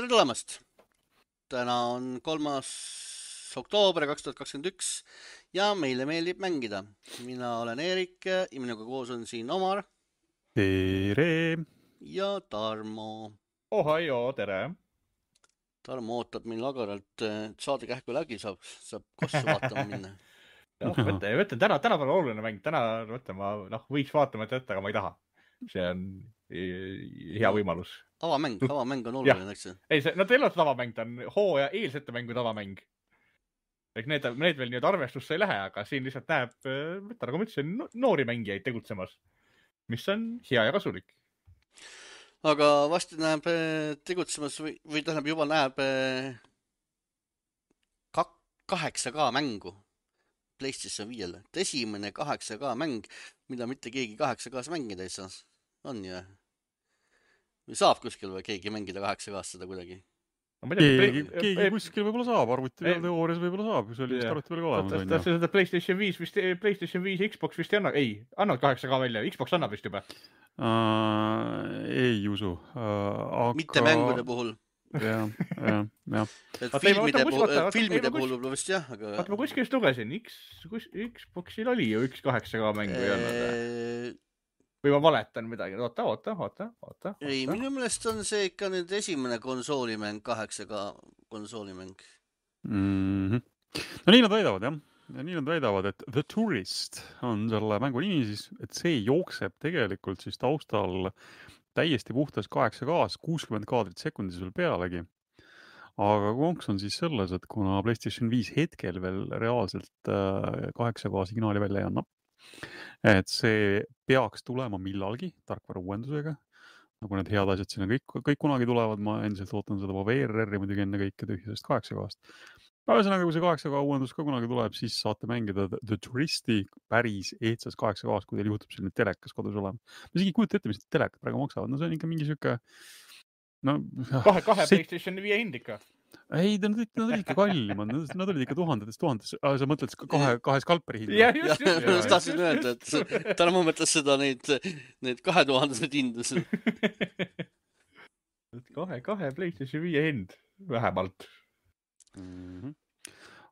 Tere tulemast! Täna on 3. oktoober 2021 ja meile meeldib mängida. Mina olen Eerik ja minuga koos on siin Omar Tere! ja Tarmo. Ohio, tere! Tarmo ootab meil agaralt, et saade kähku läbi saab kossu vaatama minna. Mõtlen, tänapäeval oluline mäng. Täna ma võiks vaatama jätta, aga ma ei taha. See on hea võimalus. Avamäng on oluline, eks see? Ei, nad ei ole tavamäng, ta on hooaja eelsete mängu tavamäng. Need veel nüüd arvestusse ei lähe, aga siin lihtsalt näeb, nagu ma ütlesin, noori mängijaid tegutsemas, mis on hea ja kasulik. Aga vasti näeb tegutsemas või tähendab juba näeb 8K mängu PlayStation 5-le. Esimene 8K mäng, mida mitte keegi 8K-s mängida ei saa. On ju? Või saab kuskil või keegi mängida 8K-s seda kuidagi? Keegi kuskil võib-olla saab, arvuti veel teoorias võib-olla saab, kui see oli vist arvuti veel olemas. Seda PlayStation 5 Xbox vist ei anna, annab 8K välja, Xbox annab vist juba. Ei usu. Mitte mängude puhul. Jah. Filmide puhul võib-olla vist jah, aga... Vaata, ma kuskil lugesin, Xboxil oli ju üks 8K mängu ei olnud. Või ma valetan midagi. Oota. Ei, minu meelest on see ikka nüüd esimene konsoolimäng, 8K konsoolimäng. No nii nad väidavad, jah. Ja nii nad väidavad, et The Tourist on selle mängu nimi siis, et see jookseb tegelikult siis taustal täiesti puhtas 8K-s, 60 kaadrit sekundis veel pealegi. Aga konks on siis selles, et kuna PlayStation 5 hetkel veel reaalselt 8K signaali välja ei anna, et see peaks tulema millalgi tarkvara uuendusega, nagu need head asjad sinna kõik kunagi tulevad, ma endiselt ootan seda VRR-i muidugi enne kõike tühjasest 8K-st. Ühesõnaga, kui see 8K uuendus ka kunagi tuleb, siis saate mängida The Touristi päris ehtsas 8K-s, kui teil juhtub selline telekas kodus olema. Ma isegi kujuta ette, mis telekat praegu maksavad. No see on ikka mingi süke... Kahe PlayStation 5 hind ikka. Ei, nad olid ikka kallimad. Nad olid ikka tuhandetes. Sa mõtled kahe skalperi hind? Jah, just. Tahtsin öelda, et täna ma mõtles seda neid 2000 hindus. Kahe PlayStation 5 hind vähemalt.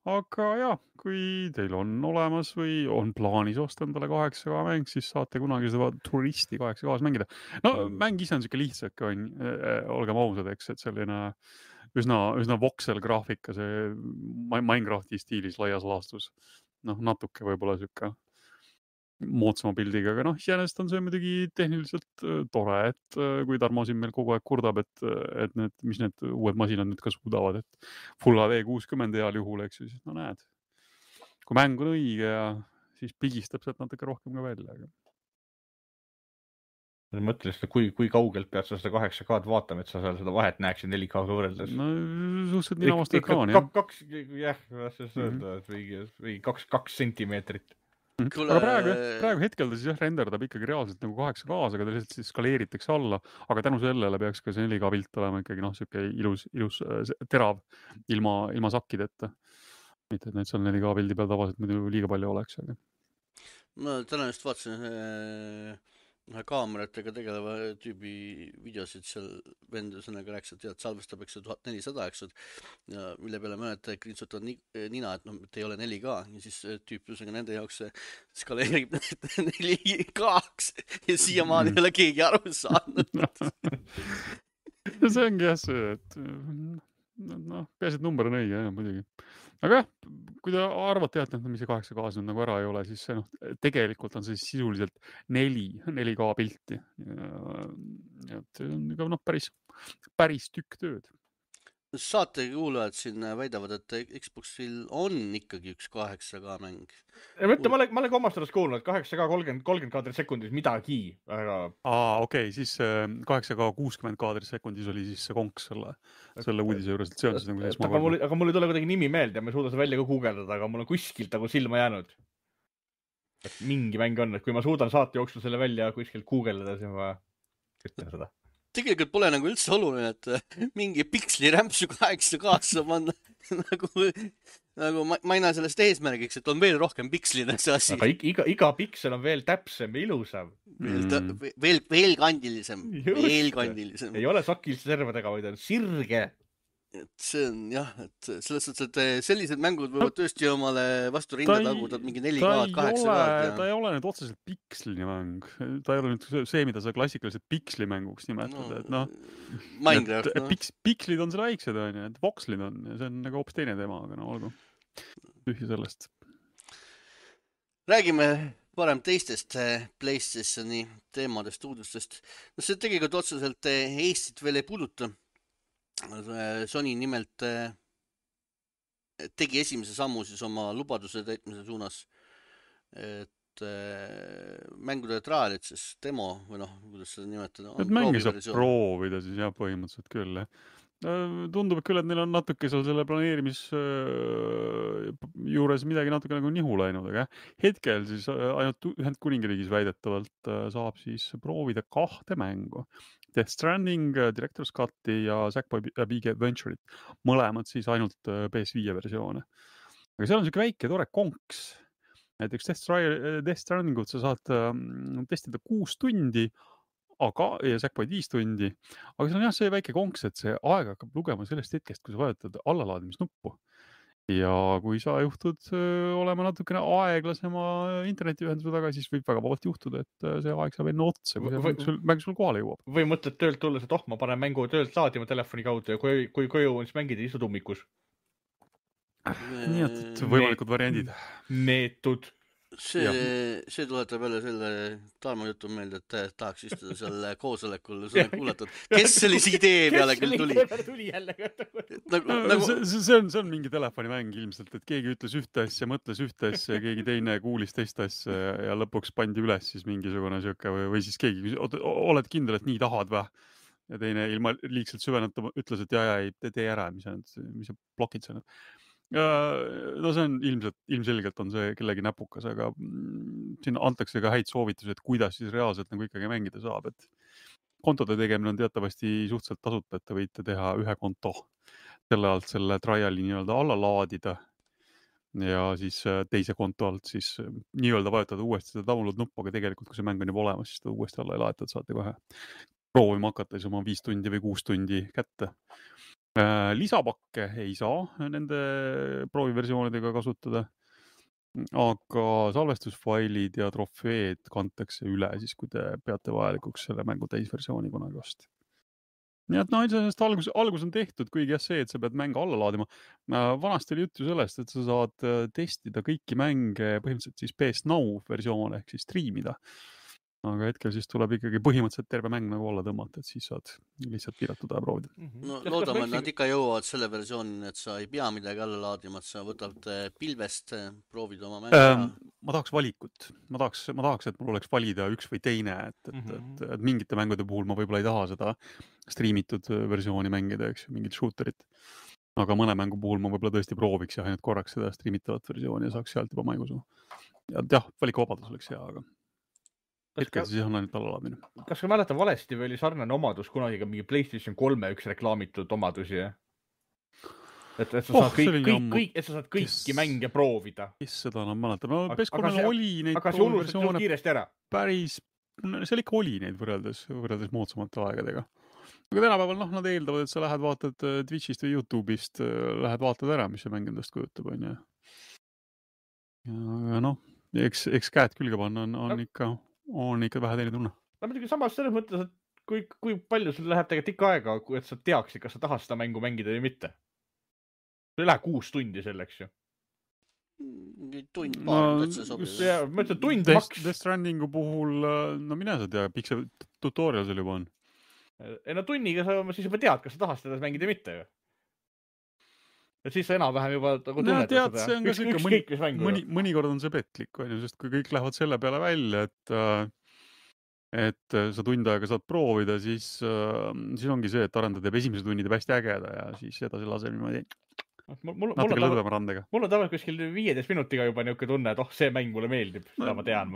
Aga jah, kui teil on olemas või on plaanis osta endale 8K mäng, siis saate kunagi seda Touristi 8K-s mängida. No mäng ise on siuke lihtsake, olgem ausad, eks, et selline üsna voxel graafika, see Minecrafti stiilis laias laastus. Natuke võib-olla siuke moodsama pildiga, aga iseenesest on see muidugi tehniliselt tore, et kui Tarmo siin meil kogu aeg kurdab, et mis need uued masinad nüüd ka suudavad, et Full HD 60 heal juhul, eks ju, siis näed. Kui mäng on õige ja siis pigistab sealt natuke rohkem ka välja. Mõtlen seda, kui kaugelt pead sa seda 8K-d vaatama, et sa seal seda vahet näeksid 4K-ga võrreldes? No suhteliselt nina vastu ekraani, jah. Või 2 sentimeetrit. Aga praegu hetkel ta siis renderdab ikkagi reaalselt nagu 8K-s, aga ta lihtsalt siis skaleeritakse alla, aga tänu sellele peaks ka see 4K pilt olema ikkagi siuke ilus terav ilma sakkideta. Mitte, et need seal 4K pildi peal tavaliselt muidu liiga palju oleks. Aga... Ma täna just vaatasin kaameratega tegeleva tüübi videosid seal vendusõnaga rääks, et salvestab 1400, eks, ja mille peale mõned krinsutavad nina, et ei ole 4K ja siis tüüp nende jaoks skaleerib 4K-ks ja siiamaani ei ole keegi aru saanud. See ongi jah see, et peaasi, et number on õige, muidugi. Aga jah, kui te arvate, et mis see 8K-s nagu ära ei ole, siis see tegelikult on see sisuliselt 4K pilti. See on ikka päris tükk tööd. Saate kuulajad siin väidavad, et Xboxil on ikkagi üks 8K mäng. Ma olen ka omast arvast kuulnud, 8K 30 kaadrit sekundis midagi. Okei, siis 8K 60 kaadrit sekundis oli siis see konks selle uudise juures. Aga mul ei tule kuidagi nimi meelde ja ma ei suuda seda välja ka guugeldada, aga mul on kuskilt silma jäänud. Et mingi mäng on, et kui ma suudan saate jooksul selle välja kuskilt guugeldada, siis ma ütlen seda. Tegelikult pole nagu üldse oluline, et mingi piksli rämpsu 8K-sse panna. Nagu ma ei näe sellest eesmärgiks, et on veel rohkem pikslina see asi. Aga iga piksel on veel täpsem ja ilusam. Veel kandilisem. Veel kandilisem. Ei ole sakiliste servadega, vaid on sirge. et see on jah, et selles suhtes, et sellised mängud võivad tõesti omale vastu rinda taguda, mingi 4K-d, 8K-d ta ei ole nüüd otseselt piksline mäng. Ta ei ole nüüd see, mida sa klassikaliselt pikslimänguks nimetad, et noh. Minecraft, noh. Pikslid on selle väiksed, on ju, et vokslid on ja see on nagu hoopis teine teema, aga no olgu. Tühja sellest. Räägime parem teistest PlayStationi teemadest, uudustest. No see tegelikult otseselt Eestit veel ei puuduta. Sony nimelt tegi esimese sammu siis oma lubaduse täitmise suunas, et mängude trialit, siis demo või noh, kuidas seda nimetada. Et mängi saab proovida siis jah, põhimõtteliselt küll. Tundub küll, et neil on natuke seal selle planeerimis juures midagi natuke nagu nihu läinud, aga hetkel siis ainult Ühendkuningriigis väidetavalt saab siis proovida 2 mängu. Death Stranding, Director's Cut'i ja Sackboy Big Adventure'it. Mõlemad siis ainult PS5 versioone. Aga seal on selline väike tore konks. Näiteks Death Strandingut sa saad testida 6 tundi, ja Sackboy 5 tundi. Aga see on jah see väike konks, et see aeg hakkab lugema sellest hetkest, kui sa vajutad allalaadimisnuppu. Ja kui sa juhtud olema natukene aeglasema internetiühenduse taga, siis võib väga vabalt juhtuda, et see aeg saab enne otsa, kui see mäng sul kohale jõuab. Või mõtled töölt tulles, et ma panen mängu töölt laadima telefoni kaudu ja kui koju on, siis mängida istud ummikus. Nii et võimalikud variandid. Neetud. See tuletab jälle selle Tarmo jutu meelde, et tahaks istuda seal koosolekul kuulatud. Kes sellise idee peale küll tuli? See on mingi telefonimäng ilmselt, et keegi ütles ühte asja, mõtles ühte asja ja keegi teine kuulis teist asja ja lõpuks pandi üles siis mingisugune sööke või siis keegi, oled kindel, et nii tahad või? Ja teine ilma liigselt süveneta ütles, et ei, tee ära, mis sa blokid sa nüüd. No see on ilmselgelt on see kellegi näpukas, aga siin antakse ka häid soovitusi, et kuidas siis reaalselt nagu ikkagi mängida saab, et kontode tegemine on teatavasti suhteliselt tasuta, et te võite teha 1 konto selle alt selle triali nii-öelda alla laadida ja siis teise konto alt siis nii-öelda vajutada uuesti seda download nuppu, aga tegelikult kui see mäng on juba olemas, siis ta uuesti alla ei laetud, saate kohe proovima hakata siis oma 5 tundi või 6 tundi kätte. Lisapakke ei saa nende prooviversioonidega kasutada, aga salvestusfailid ja trofeed kantakse üle siis, kui te peate vajalikuks selle mängu täisversiooni kunagi osta. Nii et sellest algus on tehtud, kuigi see, et sa pead mänge alla laadima. Vanasti oli juttu sellest, et sa saad testida kõiki mänge põhimõtteliselt siis PS Now versioone ehk siis streamida. Aga hetkel siis tuleb ikkagi põhimõtteliselt terve mäng nagu alla tõmmata, et siis saad lihtsalt piiratud aja proovida. No loodame, et nad ikka jõuavad selle versioonini, et sa ei pea midagi alla laadima, et sa võtad pilvest, proovid oma mängu. Ma tahaks valikut. Ma tahaks, et mul oleks valida üks või teine, et mingite mängude puhul ma võib-olla ei taha seda streamitud versiooni mängida, eks mingit shooterit. Aga mõne mängu puhul ma võib-olla tõesti prooviks ja ainult korraks seda streamitavat versiooni ja saaks sealt juba maigu suu. Ja jah, valikuvabadus oleks hea, aga hetkel siis on ainult allalaadmine. Kas ka mäletan valesti või oli sarnane omadus kunagi ka mingi PlayStation 3 üks reklaamitud omadusi? Et sa saad kõiki mänge proovida. Kes seda enam mäletab? No PS3 oli neid aga see unustas kiiresti ära. Päris, seal ikka oli neid võrreldes moodsamate aegadega. Aga tänapäeval nad eeldavad, et sa lähed vaatad Twitchist või YouTube'ist, lähed vaatad ära, mis see mäng endast kujutab, on ju. Ja noh, eks käed külge panna on ikka vähe teine tunne. No muidugi samas selles mõttes, et kui palju sul läheb tegelikult ikka aega, et sa teaksid, kas sa tahad seda mängu mängida või mitte. Sul ei lähe 6 tundi selleks ju. Tund paar, et see sobib. Ma ütlen, tund maks. Death Strandingu puhul, no mine sa tea, pikk see tutorial seal juba on. No tunniga sa siis juba tead, kas sa tahad seda mängida või mitte ju. Et siis sa enam-vähem juba tunnetad seda. Mõnikord on see petlik, sest kui kõik lähevad selle peale välja, et sa tund aega saad proovida, siis ongi see, et arendaja teeb esimese tunni teeb hästi ägeda ja siis edasi laseb niimoodi natuke lõdvema randega. Mul on tavaliselt kuskil 15 minutiga juba niuke tunne, et see mäng mulle meeldib, seda ma tean.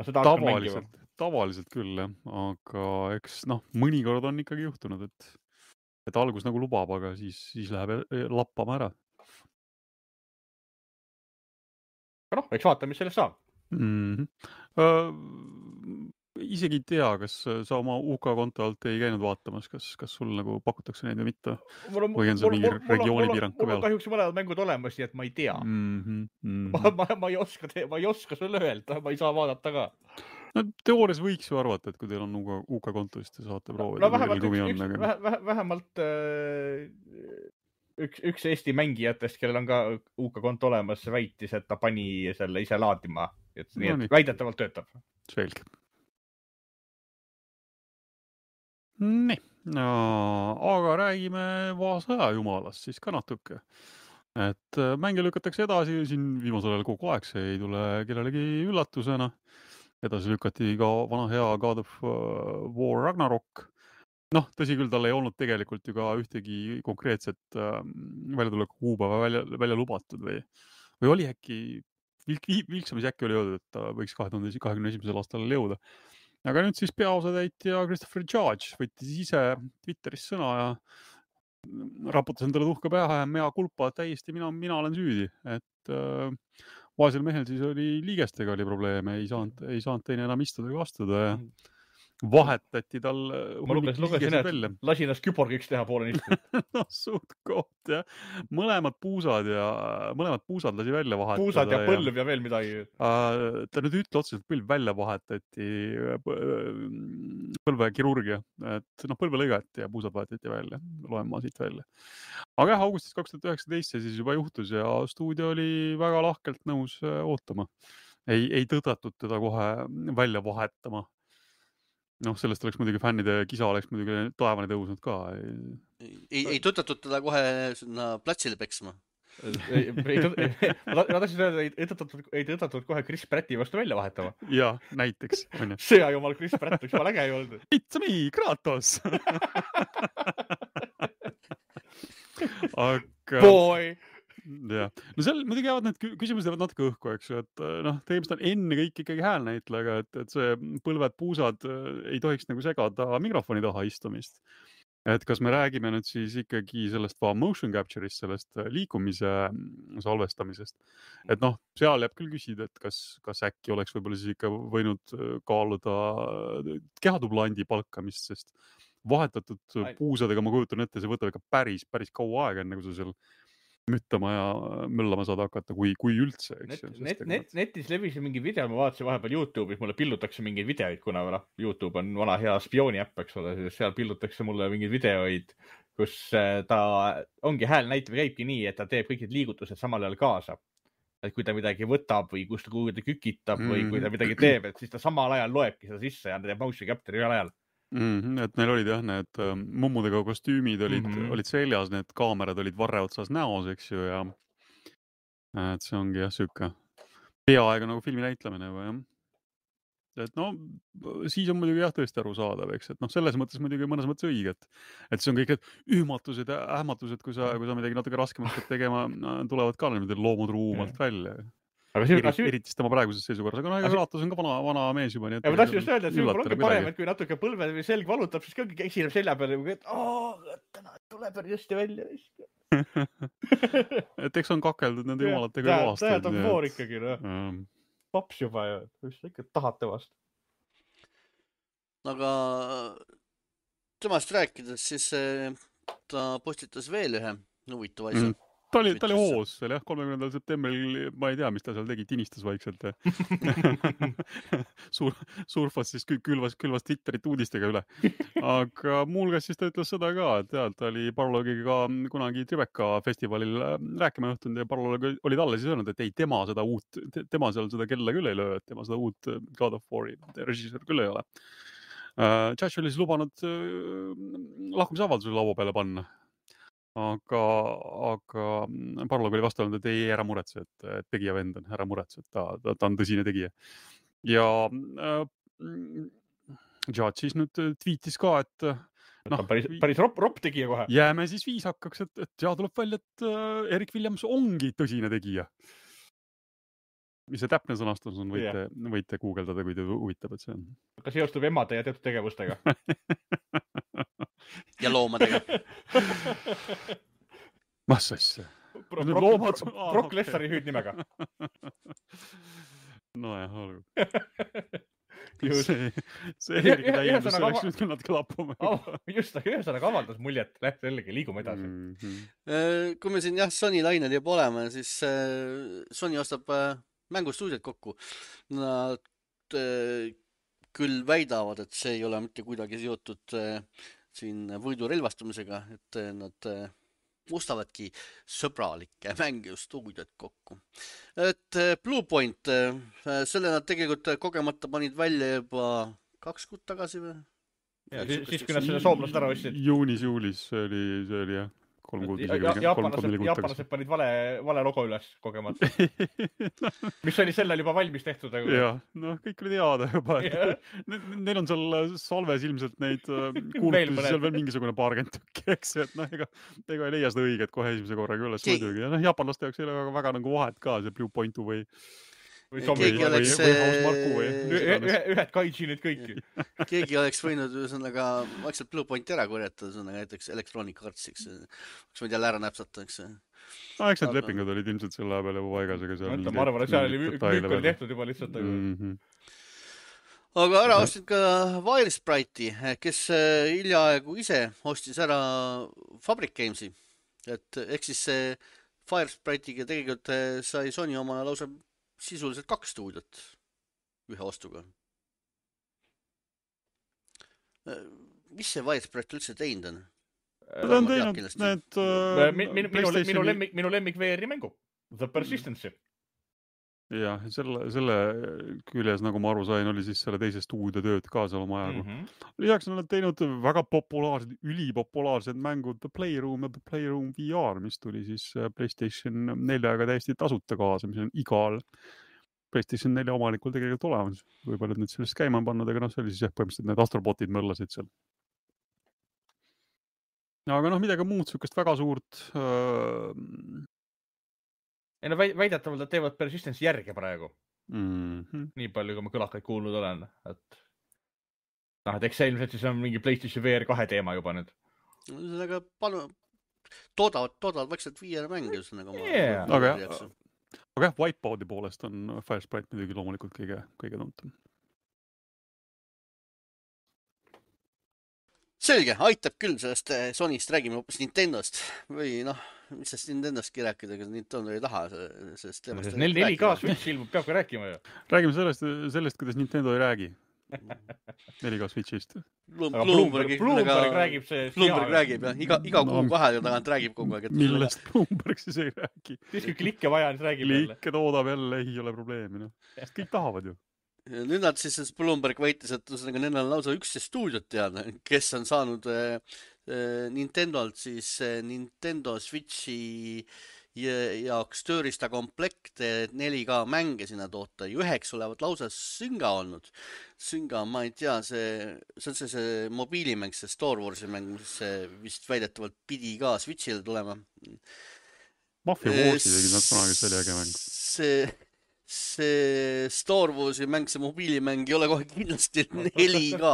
Tavaliselt küll, aga eks mõnikord on ikkagi juhtunud, et algus nagu lubab, aga siis läheb lappama ära. Aga eks vaata, mis sellest saab. isegi ei tea, kas sa oma UK konto alt ei käinud vaatamas, kas sul nagu pakutakse neid või mitte? Või on see mingi regioonipiirang ka mul on peal? kahjuks mõlemad mängud olemas, nii et ma ei tea. Ma ei oska sulle öelda, ma ei saa vaadata ka. No teoorias võiks ju arvata, et kui teil on UK konto, siis te saate proovida. No vähemalt üks Eesti mängijatest, kellel on ka UK konto olemas, väitis, et ta pani selle ise laadima. Nii et väidetavalt töötab. Selge. Nii, aga räägime Vaasaja jumalast siis ka natuke. Et mänge lükatakse edasi, siin viimasel ajal kogu aeg, see ei tule kellelegi üllatusena. Edasi lükati ka vana hea God of War Ragnarok. Noh, tõsi küll, tal ei olnud tegelikult ju ka ühtegi konkreetset väljatuleku kuupäeva välja lubatud või oli äkki, vilksamis äkki oli öeldud, et ta võiks 2021. aastal jõuda. Aga nüüd siis peaosatäitja Christopher Judge võttis ise Twitteris sõna ja raputas endale tuhka pähe ja mea kulpa, täiesti mina olen süüdi, et vaesel mehel siis oli liigestega oli probleeme, ei saanud teine enam istuda ega astuda ja vahetati tal lasi ennast küborgiks teha poole nisti. No suht koht, jah. Mõlemad puusad lasi välja vahetada. Puusad ja põlv ja veel midagi. Ta nüüd ütle otseselt põlv välja vahetati, põlvekirurgia, et põlvelõigati ja puusad vahetati välja, loen ma siit välja. Aga jah, augustis 2019 see siis juba juhtus ja stuudio oli väga lahkelt nõus ootama. Ei tõtatud teda kohe välja vahetama. Sellest oleks muidugi fännide kisa oleks muidugi taevani tõusnud ka. Ei tõtatud teda kohe platsile peksma. Ma tahtsin öelda, ei tõtatud kohe Chris Pratti vastu välja vahetama. Ja, näiteks. Sõja jumal Chris Pratt, üks mal äge ei olnud. It's me, Kratos! Aga... Boy! Ja. No seal muidugi jäävad need küsimused jäävad natuke õhku, eks ju, et tegemist on enne kõik ikkagi häälnäitlega, et see põlved, puusad ei tohiks nagu segada mikrofoni taha istumist. Et kas me räägime nüüd siis ikkagi sellest motion capture'ist, sellest liikumise salvestamisest. Et seal jääb küll küsida, et kas äkki oleks võib-olla siis ikka võinud kaaluda kehatublandi palkamist, sest vahetatud puusadega ma kujutan ette, see võtab ikka päris kaua aega, enne kui sa seal müttama ja möllama saada hakata, kui üldse. Netis levis mingi video, ma vaatasin vahepeal YouTube'is, mulle pillutakse mingeid videoid, kuna YouTube on vana hea spiooni äpp, eks ole, seal pillutakse mulle mingeid videoid, kus ta ongi häälnäitaja käibki nii, et ta teeb kõik need liigutused samal ajal kaasa. Et kui ta midagi võtab või kuhu ta kükitab või kui ta midagi teeb, et siis ta samal ajal loebki seda sisse ja ta teeb motion capture'i ühel ajal. Et neil olid jah, need mummudega kostüümid olid seljas, need kaamerad olid varre otsas näos, eks ju, ja et see ongi jah, süke peaaegu nagu filmi näitlemine või jah. Et siis on muidugi jah tõesti aru saadav, eks, et selles mõttes muidugi mõnes mõttes õige, et see on kõik need ühmatused ja ähmatused, kui sa midagi natuke raskemat pead tegema, tulevad ka niimoodi loomutruumalt välja. Eriti tema praeguses seisukorras, aga Kratos on ka vana mees juba. Ja ma tahtsin just öelda, et see on ongi parem, et kui natuke põlve või selg valutab, siis kõige esineb selja peale, et täna tuleb hästi välja. Et eks on kakeldud nende jumalatega aastaid. Tähed on voor ikkagi, paps juba ja just ikka tahad temast. Aga temast rääkides, siis ta postitas veel ühe huvitava asja. Ta oli hoos seal jah, 30. septembril, ma ei tea, mis ta seal tegi, tinistas vaikselt. Surfas siis külvas Twitterit uudistega üle. Aga muuhulgas siis ta ütles seda ka, et ta oli Paralogiga kunagi Tribeca festivalil rääkima juhtunud ja Paralog oli talle siis öelnud, et ei, tema seal seda kella küll ei löö, et tema seda uut God of War'i režissöör küll ei ole. Judge oli siis lubanud lahkumisavalduse laua peale panna. Aga Parlog oli vastanud, et ei, ära muretse, et tegija vend on, ära muretse, et ta on tõsine tegija. Ja Judge siis nüüd tweetis ka, et päris ropp tegija kohe. Jääme siis viisakaks, et tuleb välja, et Erik Williams ongi tõsine tegija. Mis see täpne sõnastus on, võite guugeldada, kui te huvitab, et see on. Kas seostub emade ja teatud tegevustega? Ja loomadega. Mas asja? Brock Lesnari hüüdnimega. No jah, olgu. Just. see oligi täiendus, see Ühesõnaga oleks nüüd küll natuke lappama. Just, aga ühesõnaga avaldas muljet, jällegi liigume edasi. Kui me siin Sony lainel juba oleme, siis Sony ostab mängustuudiot kokku. Nad küll väidavad, et see ei ole mitte kuidagi seotud siin võidurelvastumisega, et nad mustavadki sõbralikke mängustuudiot kokku. Et Bluepoint, selle nad tegelikult kogemata panid välja juba 2 kuud tagasi või? Ja, siis kui nad selle soomlast ära ostsid. Juunis-juulis see oli jah. 3 kuud isegi. Jaapanlased panid vale logo üles kogemata. Mis oli sellel juba valmis tehtud. Jah, kõik oli teada juba. Neil on seal salves ilmselt neid kuulutusi seal veel mingisugune 20 tükki, eks. Et ega ei leia seda õiget kohe esimese korraga üles muidugi. Ja jaapanlaste jaoks ei ole väga nagu vahet ka see Bluepointu või ühed kaijinid kõiki. Keegi oleks võinud ühesõnaga vaikselt Bluepointi ära korjata, näiteks Electronic Artsiks. Oleks võinud jälle ära näpsata, eks. Eks need lepingud olid ilmselt selle peale juba paigas. Ma arvan, et seal oli tehtud juba lihtsalt. Aga ära ostsid ka Wiresprite'i, kes hiljaaegu ise ostis ära Fabric Gamesi. Ehk siis see Wiresprite'iga tegelikult sai Sony oma lausa sisuliselt 2 stuudiot ühe ostuga. Mis see Wiresprite üldse teinud on? Ta on teinud need minu lemmik VR-i mängu. The Persistency. Jah, selle küljes, nagu ma aru sain, oli siis selle teise stuudiotööd ka seal oma ajagu. Lisaks on nad teinud väga populaarsed, ülipopulaarsed mängud The Playroom ja The Playroom VR, mis tuli siis PlayStation 4-ga täiesti tasuta kaasa, mis on igal PlayStation 4 omanikul tegelikult olemas. Võib-olla nüüd sellest käima pannud, aga see oli siis põhimõtteliselt need astrobotid mõllasid seal. Aga midagi muud sükest väga suurt... väidetavalt, et teevad Persistence järge praegu. Nii palju, kui ma kõlakaid kuulnud olen. Eks see ilmselt siis on mingi PlayStation VR 2 teema juba nüüd. Aga toodavad vaikselt VR mänge. Aga Wipeout'i poolest on Firesprite muidugi loomulikult kõige tuntum. Selge, aitab küll sellest Sonyst, räägime hoopis Nintendost. Või mis sest Nintendostki rääkida, aga Nintendo ei taha sellest teemast. 4K Switch ilmub, peabki rääkima ju. Räägime sellest, kuidas Nintendo ei räägi. 4K Switchist. Bloomberg räägib see. Bloomberg räägib, jah. Iga kuu vahel tagant räägib kogu aeg. Millest Bloomberg siis ei räägi? Siis kui klikke vaja, siis räägib jälle. Klikke toodab jälle, ei ole probleemi. Kõik tahavad ju. Nüüd nad siis Bloomberg väitis, et nendel on lausa 11 stuudiot teada, kes on saanud Nintendolt siis Nintendo Switchi jaoks tööriista komplekte 4K mänge sinna toota. 9 olevat lausa Zynga olnud. Zynga, ma ei tea, see on see mobiilimäng, see Star Warsi mäng, mis vist väidetavalt pidi ka Switchile tulema. Mafia Warsi tegid nad kunagi selle äge mäng. See Star Warsi mäng, see mobiilimäng ei ole kohe kindlasti 4K.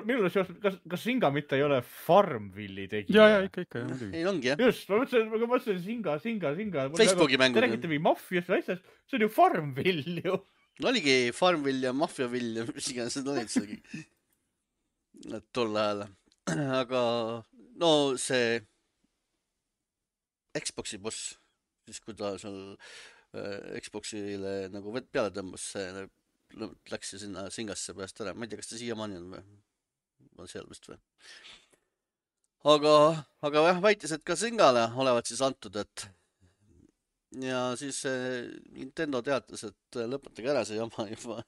Minul kas Zynga mitte ei ole Farmville'i tegi? Ja, ikka. Ei ongi, jah. Just, ma mõtlesin Zynga. Facebooki mängud. Te räägite või Mafiast või asjast, see on ju Farmville ju. Oligi Farmville ja Mafiaville, mis iganes need olid seal tol ajal. Aga see Xboxi boss, siis kui ta seal Xboxile nagu peale tõmbas, läks sinna Zyngasse pärast ära. Ma ei tea, kas ta siiamaani on või? On seal vist või? Aga jah, väitis, et ka Zyngale olevat siis antud, et ja siis Nintendo teatas, et lõpetage ära see jama juba.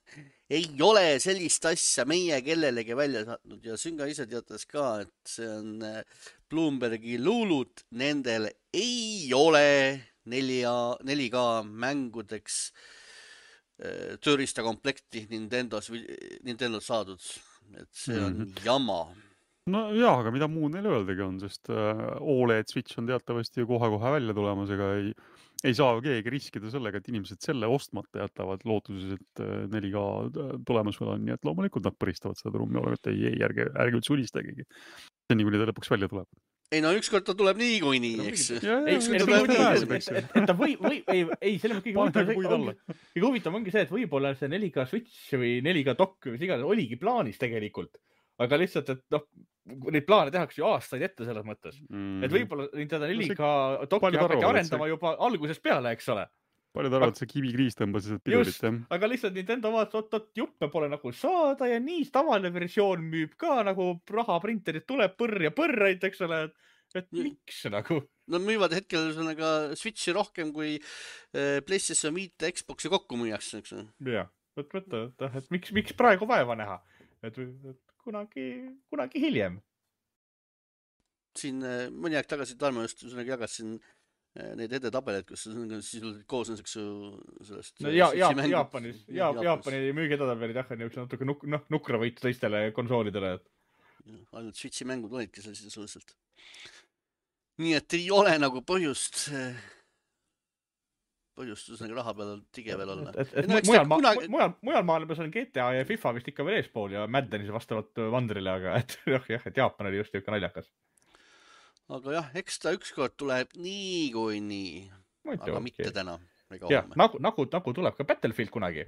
Ei ole sellist asja meie kellelegi välja saatnud ja Zynga ise teatas ka, et see on Bloombergi luulut. Nendel ei ole 4K mängudeks tööriistakomplekti Nintendolt saadud. Et see on jama. No jaa, aga mida muud neil öeldagi on, sest OLED Switch on teatavasti ju kohe välja tulemas, ega ei saa keegi riskida sellega, et inimesed selle ostmata jätavad lootuses, et 4K tulemas veel on, nii et loomulikult nad põristavad seda trummi, et ei, ärge üldse ulistagegi. See on nii, kuni ta lõpuks välja tuleb. ei no ükskord ta tuleb niikuinii, eks. ta ei, selle kõige huvitav ongi see, et võib-olla see 4K Switch või 4K dock või iganes oligi plaanis tegelikult. Aga lihtsalt, et noh, neid plaane tehakse ju aastaid ette selles mõttes. Et võib-olla Nintendo 4K docki hakati arendama juba algusest peale, eks ole. Paljud arvad, see kivikriis tõmbas pidurit, jah. Aga lihtsalt Nintendo vaatas, oot, juppe pole nagu saada ja nii tavaline versioon müüb ka nagu rahaprinterid tuleb põrraid, eks ole, et miks nagu? Nad müüvad hetkel ka Switchi rohkem kui PlayStation 5 Xboxi kokku müüakse, eks ole. Jah, et miks praegu vaeva näha? Et kunagi hiljem. Siin mõni aeg tagasi Tarmo just jagasin neid edetabeleid, kus siis koosnes sellest... No Jaapani müügi edetabelid jah, on natuke nukra võitu teistele konsoolidele. Ainult Switchi mängud olidki seal sisuliselt. Nii et ei ole nagu põhjust raha peal tige veel olla. Mujal maailmas on GTA ja FIFA vist ikka veel eespool ja Maddenis vastavalt Wandrile, aga et Jaapan oli just ikka naljakas. Aga jah, eks ta ükskord tuleb niikuinii, aga mitte täna. Jah, nagu tuleb ka Battlefield kunagi.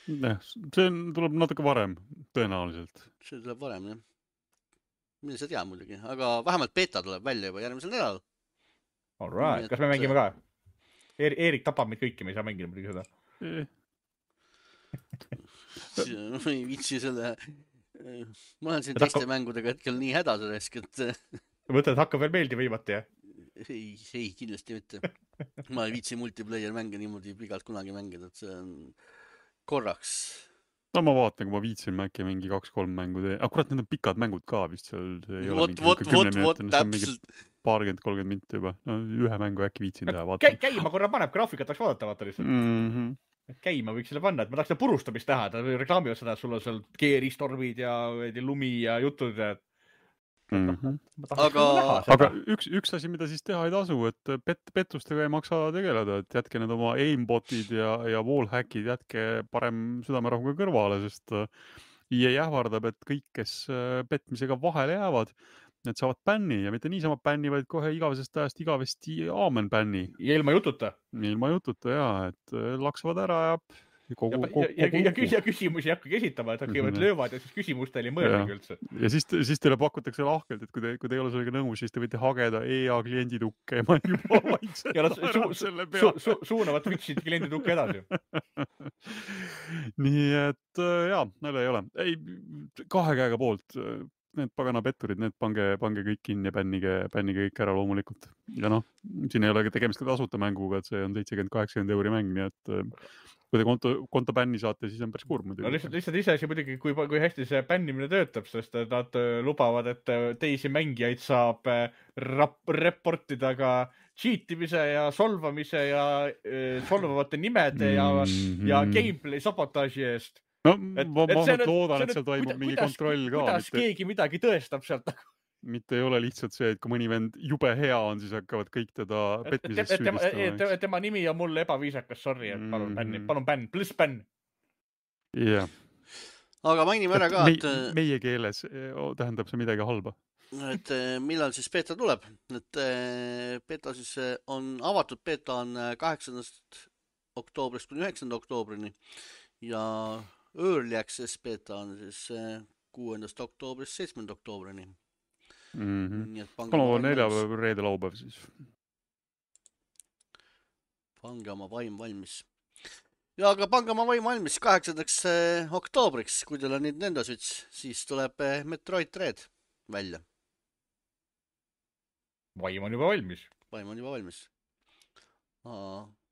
See tuleb natuke varem, tõenäoliselt. See tuleb varem, jah. Mille sa tea muidugi, aga vähemalt beta tuleb välja juba järgmisel nädalal. All right, kas me mängime ka? Eerik tapab meid kõiki, me ei saa mängida muidugi seda. Ma ei viitsi selle... Ma olen siin teiste mängudega hetkel nii hädas resk, et... Mõtled, hakkab veel meeldi võimati, jah? Ei, kindlasti mitte. Ma ei viitsi multiplayer mänge niimoodi pigalt kunagi mängida, et see on korraks. No ma vaatan, kui ma viitsin äkki mingi 2-3 mängu tee. Kurat, need on pikad mängud ka vist seal. Vot, täpselt. 20-30 minti juba. No, ühe mängu äkki viitsin teha. Käima korra paneb, graafikat tahaks vaadata lihtsalt. Käima võiks selle panna, et ma tahaks seda purustamist teha. Ta reklaamivad seda, et sul on seal geeristormid ja lumi ja jutud. Aga üks asi, mida siis teha ei tasu, et pettustega ei maksa tegeleda, et jätke need oma aimbotid ja wallhackid, jätke parem südamerahuga kõrvale, sest EA ähvardab, et kõik, kes petmisega vahele jäävad, need saavad bänni ja mitte niisama bänni, vaid kohe igavesest ajast igavesti aamen bänni. Ja ilma jututa. Ilma jututa, jaa, et laksavad ära ja küsimusi hakkagi esitama, et hakkavad löövad ja siis küsimustele ei mõeldagi üldse. Ja siis teile pakutakse lahkelt, et kui te ei ole sellega nõus, siis te võite hageda EA klienditukke ja ma juba vaikselt naerab selle peale. Suunavad Twitch'id klienditukke edasi. Nii et jaa, nalja ei ole. Ei, 2 käega poolt. Need pagana petturid, need pange kõik kinni ja bännige kõik ära loomulikult. Ja noh, siin ei ole tegemist ka tasuta mänguga, et see on 70-80 € mäng, nii et kui te konto bänni saate, siis on päris kurb muidugi. No lihtsalt ise asi muidugi, kui hästi see bännimine töötab, sest nad lubavad, et teisi mängijaid saab reportida ka cheatimise ja solvamise ja solvavate nimede ja gameplay sabotaaži eest. No, ma loodan, et seal toimub mingi kontroll ka. Kuidas keegi midagi tõestab sealt? Mitte ei ole lihtsalt see, et kui mõni vend jube hea on, siis hakkavad kõik teda petmises süüdistama. Tema nimi on mulle ebaviisakas, sorry, et palun bänn, pluss bänn. Jah. Aga mainime ära ka, et... Meie keeles tähendab see midagi halba. Et millal siis beta tuleb? Et beta siis on avatud, beta on 8. oktoobrist kuni 9. oktoobrini ja Early Access beta on siis 6. oktoobrist 7. oktoobrini. Kolmapäev, neljapäev, reede, laupäev siis. Pange oma vaim valmis. Ja aga pange oma vaim valmis 8. oktoobriks, kui teil on Nintendo Switch, siis tuleb Metroid Dread välja. Vaim on juba valmis. Vaim on juba valmis.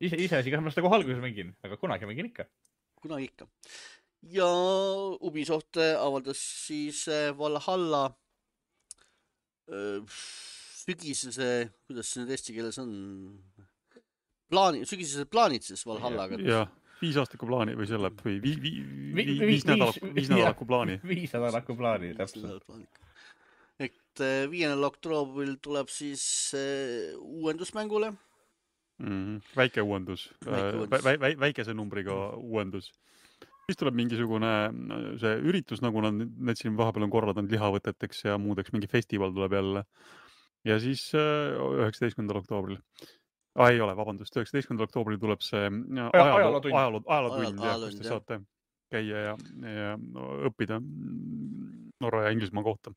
Ise asi, kas ma seda kohe alguses mängin, aga kunagi mängin ikka. Kunagi ikka. Ja Ubisoft avaldas siis Valhalla sügisese, kuidas see nüüd eesti keeles on, sügisese plaanid siis Valhallaga. Jah, 5 aastaku plaani või selle, või 5 nädalaku plaani. 5 nädalaku plaani, täpselt. Et 5. oktoobril tuleb siis uuendusmängule. Väike uuendus, väikese numbriga uuendus. siis tuleb mingisugune see üritus, nagu nad siin vahepeal on korraldanud lihavõteteks ja muudeks, mingi festival tuleb jälle. Ja siis 19. oktoobril. Ei ole, vabandust, 19. oktoobril tuleb see ajalootund, kus te saate käia ja õppida Norra ja Inglismaa kohta.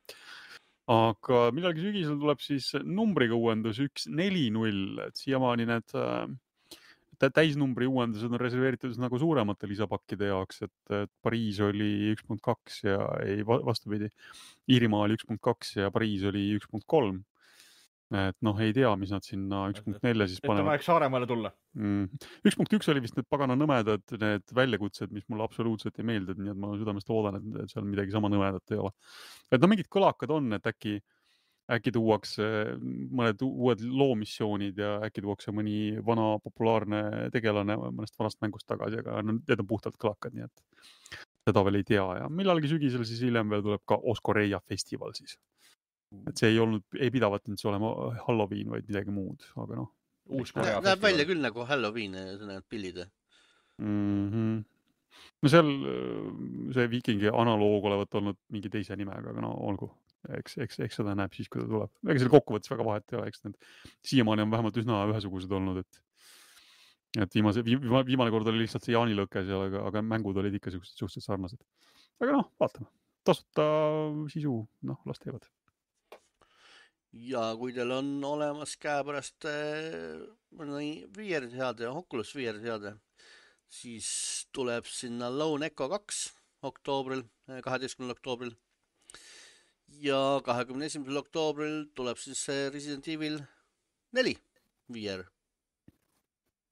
Aga millalgi sügisel tuleb siis numbriga uuendus 140, et siiamaani need täisnumbri uuendused on reserveeritud nagu suuremate lisapakkide jaoks, et Pariis oli 1.2 ja ei vastupidi. Iirimaa oli 1.2 ja Pariis oli 1.3. Et ei tea, mis nad sinna 1.4 siis panevad. Et aeg Saaremaale tulla. 1.1 oli vist need pagana nõmedad, need väljakutsed, mis mulle absoluutselt ei meeldi, nii et ma südamest loodan, et seal midagi sama nõmedat ei ole. Et mingid kõlakad on, et äkki tuuakse mõned uued loomissioonid ja äkki tuuakse mõni vana populaarne tegelane mõnest vanast mängust tagasi, aga need on puhtalt kõlakad, nii et seda veel ei tea. Ja millalgi sügisel siis hiljem veel tuleb ka Oskoreia festival siis. Et see ei pidavat nüüd see olema Halloween, vaid midagi muud, aga Näeb välja küll nagu Halloween, need pillid. No seal see viikingi analoog olevat olnud mingi teise nimega, aga olgu. Eks seda näeb siis, kui ta tuleb. Ega seal kokkuvõttes väga vahet ei ole, eks need siiamaani on vähemalt üsna ühesugused olnud, et viimane kord oli lihtsalt see jaanilõke seal, aga mängud olid ikka suhteliselt sarnased. Aga vaatame. Tasuta sisu, las teevad. Ja kui teil on olemas käepärast VR-seade, Oculus VR-seade, siis tuleb sinna Lone Echo 2 oktoobril, 12. oktoobril. Ja 21. oktoobril tuleb siis Resident Evil 4 VR.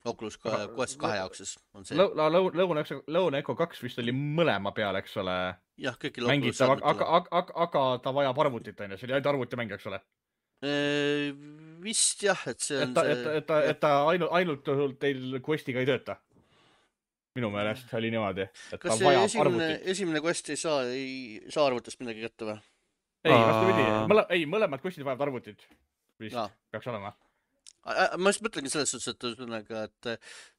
Oculus Quest 2 jaoks siis on see. Lone Echo 2 vist oli mõlema peal, eks ole? Jah, kõikil Oculus seadmetele. Aga ta vajab arvutit, on ju, see oli ainult arvuti mäng, eks ole? Vist jah, et see on et ta ainult teil Questiga ei tööta. Minu meelest oli niimoodi. Kas see esimene Quest ei saa arvutist midagi kätte või? Ei, vastupidi. Mõlemad Questid vajavad arvutit. Vist peaks olema. Ma just mõtlengi selles suhtes,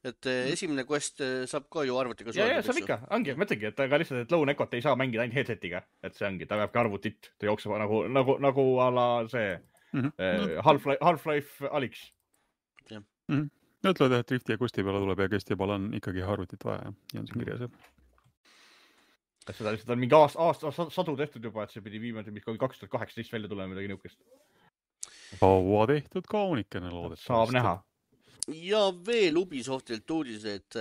et esimene Quest saab ka ju arvutiga suhelda. Ja, saab ikka. Ongi, mõtlengi, et aga lihtsalt, et Lone Echot ei saa mängida ainult headsetiga. Et see ongi, ta peabki arvutit. Ta jookseb nagu ala see Half-Life Alyx. Ütlevad, et Rifti ja Questi peale tuleb ja Questi peale on ikkagi arvutit vaja ja on siin kirjas. Seda lihtsalt on mingi aasta sadu tehtud juba, et see pidi viimati 2018 välja tulema midagi niukest. Kaua tehtud kaunikene loodet. Saab näha. Ja veel Ubisoftilt uudised.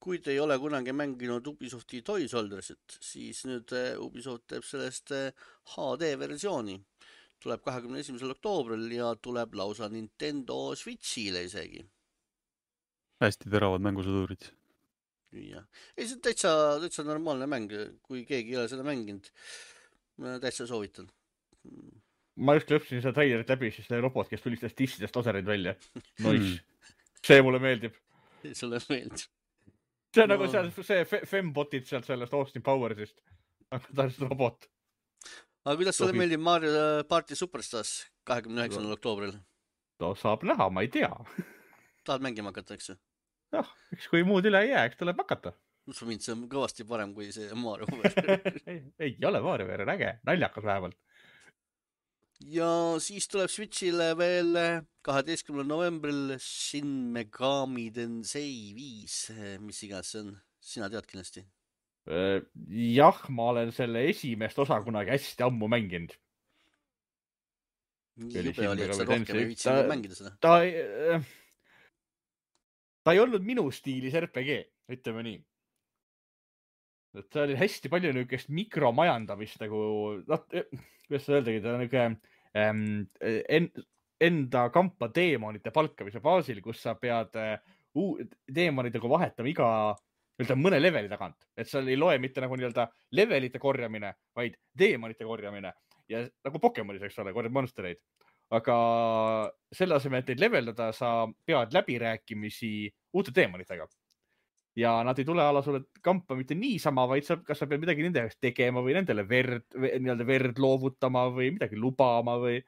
Kui te ei ole kunagi mänginud Ubisofti Toy Soldiersit, siis nüüd Ubisoft teeb sellest HD-versiooni. Tuleb 21. oktoobril ja tuleb lausa Nintendo Switchile isegi. Hästi teravad mängusõdurid. Ja. Ei, see on täitsa normaalne mäng, kui keegi ei ole seda mänginud. Ma täitsa soovitan. Ma just lõpsin seda trailerit läbi, siis see robot, kes tulistas tissidest lasereid välja. Nois. See mulle meeldib. Sulle meeldib. See on nagu see fembotid sealt sellest Austin Powersist. Aga ta on see robot. Aga kuidas sulle meeldib Mario Party Superstars 29. oktoobril? No saab näha, ma ei tea. Tahad mängima hakata, eks? Jah, eks kui muud üle ei jää, eks tuleb hakata. Mind see on kõvasti parem kui see Mario ei ole Mario VR, äge, naljakas vähemalt. Ja siis tuleb Switchile veel 12. novembril Shin Megami Tensei 5, mis iganes see on. Sina tead kindlasti? Jah, ma olen selle esimest osa kunagi hästi ammu mänginud. Nii jube oli, et sa rohkem ei viitsinud mängida seda. Ta ei olnud minu stiilis RPG, ütleme nii. Et see oli hästi palju niisugust mikromajandamist, nagu, kuidas seda öeldagi, ta on enda kampa deemonite palkamise baasil, kus sa pead deemonitega vahetama mõne leveli tagant. Et seal ei loe mitte nagu levelite korjamine, vaid deemonite korjamine. Ja nagu Pokemonis, eks ole, korjad monstereid. Aga selle asemel, et neid leveldada, sa pead läbirääkimisi uute deemonitega. Ja nad ei tule ala sulle kampa mitte niisama, vaid kas sa pead midagi nende jaoks tegema või nendele verd loovutama või midagi lubama või.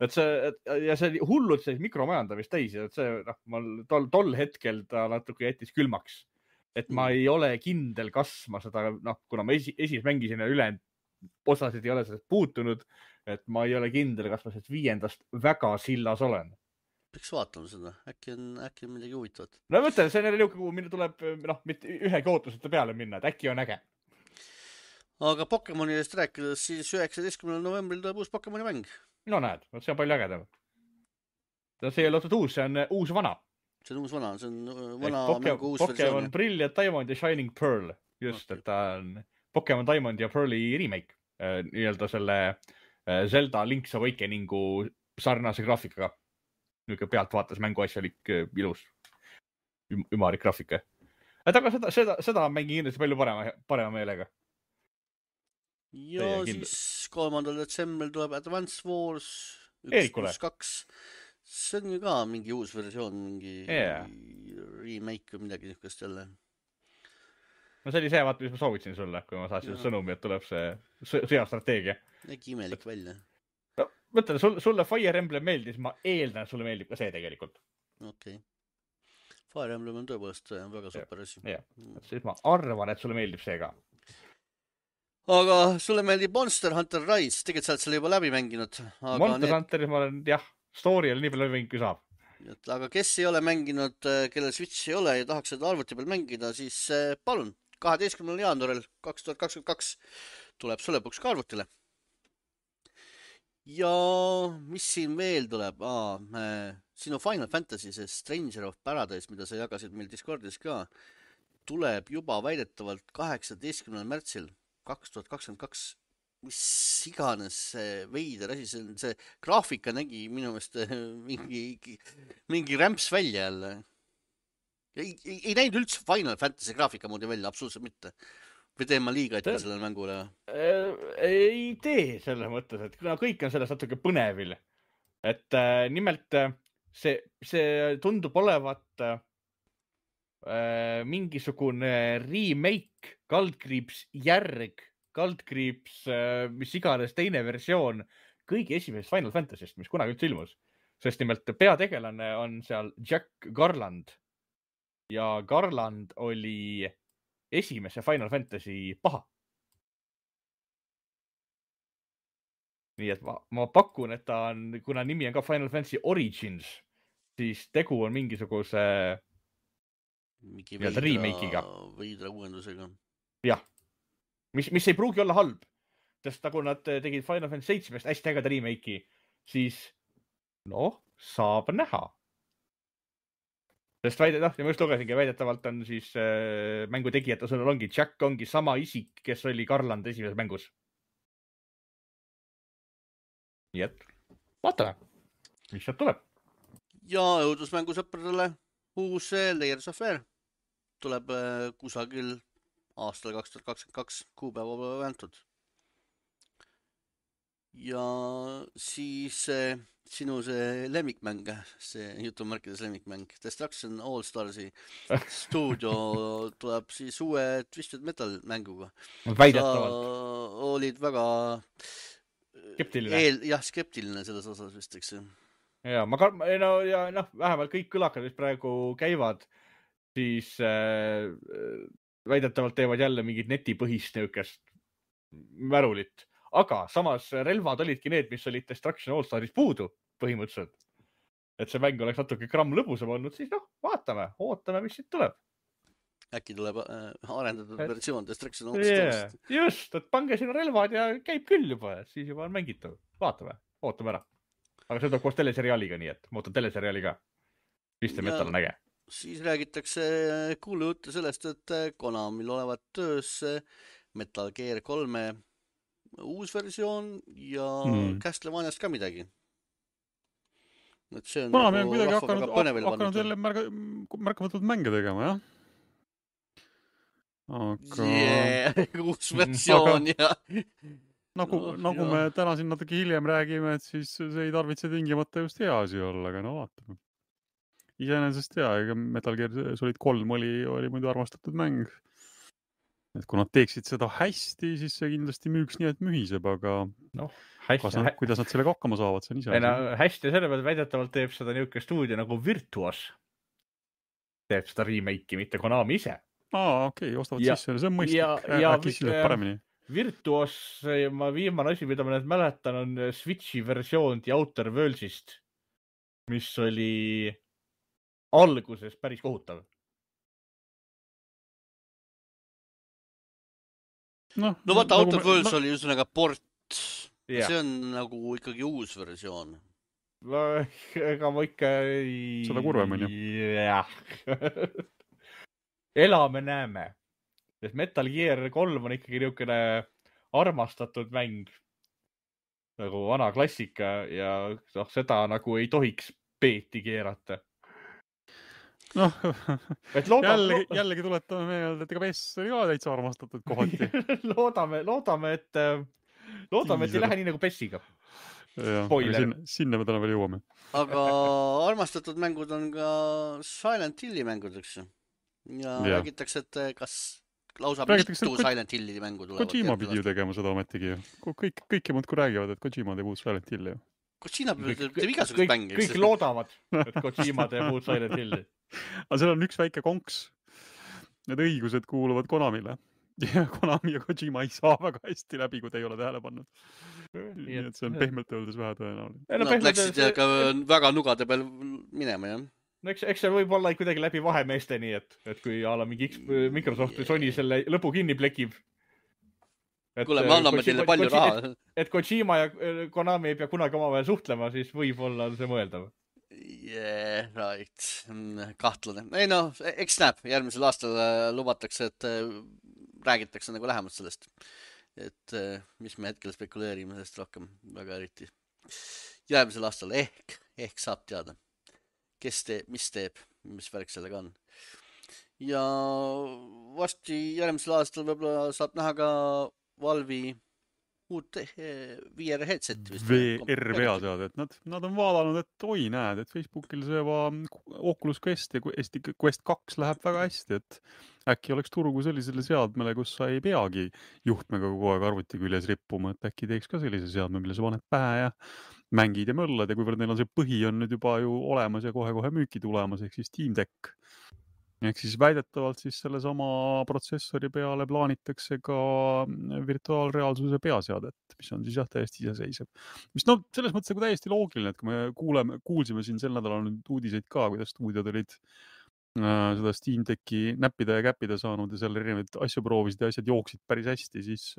Ja see oli hullult mikromajandamist täis. Et see, tol hetkel ta natuke jättis külmaks. et ma ei ole kindel, kas ma seda, kuna ma esimest mängisin ja ülejäänud osasid ei ole sellest puutunud, et ma ei ole kindel, kas ma sellest 5. väga sillas olen. Peaks vaatama seda, äkki on midagi huvitavat. No mõtlen, see on jälle niuke, kuhu minna tuleb, mitte ühegi ootuseta peale minna, et äkki on äge. Aga Pokemonidest rääkides, siis 19. novembril tuleb uus Pokemoni mäng. No näed, see on palju ägedam. See ei ole otsad uus, see on uus vana. See on uus vana, see on vana mängu uus Pokemon versioon. Brilliant Diamond ja Shining Pearl. Just, et ta on Pokemon Diamond ja Pearli remake. Nii-öelda selle Zelda Link's Awakeningu sarnase graafikaga. Niuke pealt vaatas mänguasjalik ilus ümarik graafika. Aga seda mängin kindlasti palju parema meelega. Ja siis 3. detsembril tuleb Advance Wars 1.2. See on ju ka mingi uus versioon, mingi remake või midagi niisugust jälle. No see oli see, vaata, mis ma soovitasin sulle, kui ma saasin sõnumi, et tuleb see sõjastrateegia. Nägi imelik välja. No, mõtlen, sulle Fire Emblem meeldis, ma eeldan, et sulle meeldib ka see tegelikult. Okei. Fire Emblem on tõepoolest väga super asi. Siis ma arvan, et sulle meeldib see ka. Aga sulle meeldib Monster Hunter Rise, tegelikult sa oled selle juba läbi mänginud. Monster Hunteris ma olen, story oli nii palju läbi mänginud, kui saab. Aga kes ei ole mänginud, kellel Switch ei ole ja tahaks seda arvuti peal mängida, siis palun, 12. jaanuaril 2022 tuleb sulepuks ka arvutile. Ja mis siin veel tuleb? Sinu Final Fantasy, see Stranger of Paradise, mida sa jagasid meil Discordis ka, tuleb juba väidetavalt 18. märtsil 2022. Mis iganes see veider asi, see graafika nägi minu meelest mingi rämps välja jälle. Ei näinud üldse Final Fantasy graafika moodi välja, absoluutselt mitte. Või teen ma liiga ette sellele mängule? Ei tee selles mõttes, et kõik on sellest natuke põnevil. Et nimelt see tundub olevat mingisugune remake, järg, mis iganes teine versioon kõigi esimesest Final Fantasy'st, mis kunagi üldse ilmus. Sest nimelt peategelane on seal Jack Garland. Ja Garland oli esimese Final Fantasy paha. Nii et ma pakun, et ta on, kuna nimi on ka Final Fantasy Origins, siis tegu on mingisuguse remake'iga. Veidra uuendusega. Jah. Mis ei pruugi olla halb, sest nagu nad tegid Final Fantasy 7 hästi ägeda remake'i, siis saab näha. Sest ja ma just lugesingi, väidetavalt on siis mängu tegijate sõnul ongi, Jack ongi sama isik, kes oli Garland esimeses mängus. Nii et, vaatame, mis sealt tuleb. Ja õudusmängusõpradele uus Layers of Fear tuleb kusagil aastal 2022 kuupäeva pole vääntud. Ja siis sinu see lemmikmäng, see jutumärkides lemmikmäng, Destruction All Starsi stuudio tuleb siis uue Twisted Metal mänguga. Väidetavalt. Sa olid väga skeptiline selles osas vist, eks. Ja vähemalt kõik kõlakad, mis praegu käivad, siis väidetavalt teevad jälle mingid netipõhist niukest märulit. Aga samas relvad olidki need, mis olid Destruction All Staris puudu põhimõtteliselt. Et see mäng oleks natuke gramm lõbusam olnud, siis ootame, mis siit tuleb. Äkki tuleb arendatud versioon Destruction All Starist. Just, et pange sinna relvad ja käib küll juba, siis juba on mängitav. Ootame ära. Aga see tuleb koos teleseriaaliga, nii et ma ootan teleseriaali ka. Twisted Metal on äge. Siis räägitakse kuulujutte sellest, et Konamil olevat töös Metal Gear 3 uus versioon ja Castlevaniast ka midagi. Konami on kuidagi hakanud jälle märkamatult mänge tegema, jah? Uus versioon, jah. Nagu me täna siin natuke hiljem räägime, et siis see ei tarvitse tingimata just hea asi olla, aga vaatame. Iseenesest Metal Gear Solid 3 oli muidu armastatud mäng. Et kui nad teeksid seda hästi, siis see kindlasti müüks nii, et mühiseb, aga kuidas nad sellega hakkama saavad, see on ise. Hästi selle peale väidetavalt teeb seda niuke stuudio nagu Virtuos. Teeb seda remake'i, mitte Konami ise. okei, ostavad Ja- sisse, see on mõistlik. ja Äkki siis läheb paremini. Virtuos, ma viimane asi, mida ma nüüd mäletan, on Switchi versioon The Outer Worlds'ist, mis oli alguses päris kohutav. No vaata, Outer Worlds oli ühesõnaga port. Jah. See on nagu ikkagi uus versioon. Ega ma ikka Seda kurvem on ju. Jah. Elame, näeme. Sest Metal Gear 3 on ikkagi niisugune armastatud mäng. Nagu vana klassika ja seda nagu ei tohiks peeti keerata. Noh, jällegi tuletame meelde, et ega PES oli ka täitsa armastatud kohati. loodame, et ei lähe nii nagu PES-iga. Sinna me täna veel jõuame. Aga armastatud mängud on ka Silent Hilli mängud, eks ju. Ja räägitakse, et kas lausa mitu Silent Hilli mängu tulevad. Kojima pidi ju tegema seda ometigi. Kõik muudkui räägivad, et Kojima teeb uut Silent Hilli. Kojima teeb igasugust mängi. Kõik loodavad, et Kojima teeb uut Silent Hilli. Aga seal on üks väike konks. Need õigused kuuluvad Konamile. Ja Konami ja Kojima ei saa väga hästi läbi, kui te ei ole tähele pannud. Nii et see on pehmelt öeldes vähe tõenäoline. Nad läksid ka väga nugade peal minema, jah. No eks see võib olla kuidagi läbi vahemeeste nii, et kui mingi Microsoft või Sony selle lõpu kinni plekib. Kuule, me anname teile palju raha. Et Kojima ja Konami ei pea kunagi omavahel suhtlema, siis võib-olla on see mõeldav. Yeah, right. Kahtlane. Ei no, eks näeb. Järgmisel aastal lubatakse, et räägitakse nagu lähemalt sellest. Et mis me hetkel spekuleerime sellest rohkem väga eriti. Järgmisel aastal ehk saab teada, kes teeb, mis värk sellega on. Ja varsti järgmisel aastal võib-olla saab näha ka Valve'i uut VR headset vist. VR peaseade, et nad on vaadanud, et oi näed, et Facebookil see Oculus Quest ja Quest 2 läheb väga hästi, et äkki oleks turgu sellisele seadmele, kus sa ei peagi juhtmega kogu aeg arvuti küljes rippuma, et äkki teeks ka sellise seadme, mille sa paned pähe ja mängid ja möllad ja kuivõrd neil on see põhi on nüüd juba ju olemas ja kohe müüki tulemas, ehk siis Steam Deck. Ehk siis väidetavalt siis selle sama protsessori peale plaanitakse ka virtuaalreaalsuse peaseadet, mis on siis jah täiesti iseseisev. Mis no selles mõttes nagu täiesti loogiline, et kui me kuulsime siin sel nädalal nüüd uudiseid ka, kuidas stuudiod olid seda Steam Decki näppida ja käppida saanud ja seal erinevaid asju proovisid ja asjad jooksid päris hästi, siis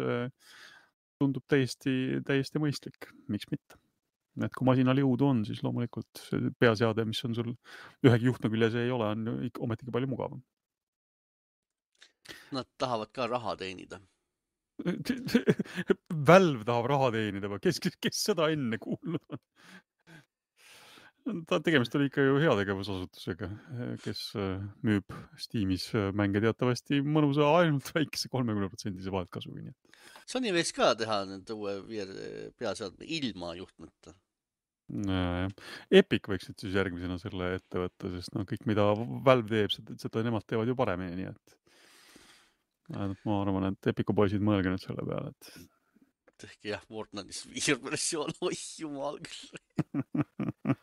tundub täiesti mõistlik. Miks mitte? Et kui masinal jõudu on, siis loomulikult see peaseade, mis on sul ühegi juhtme küljes ei ole, on ometigi palju mugavam. Nad tahavad ka raha teenida. Valve tahab raha teenida või? Kes seda enne kuulnud on? Tegemist oli ikka ju heategevusasutusega, kes müüb Steamis mänge teatavasti mõnusa ainult väikese 30% vaheltkasugi. Sony võiks ka teha nüüd uue peaseadme ilma juhtmeta. Epic võiksid siis järgmisena selle ette võtta, sest kõik, mida Valve teeb, seda nemad teevad ju paremini, nii et ma arvan, et Epicu poisid mõelge nüüd selle peale, et tehke jah, Fortnite'is VR-versioon, oi jumal küll.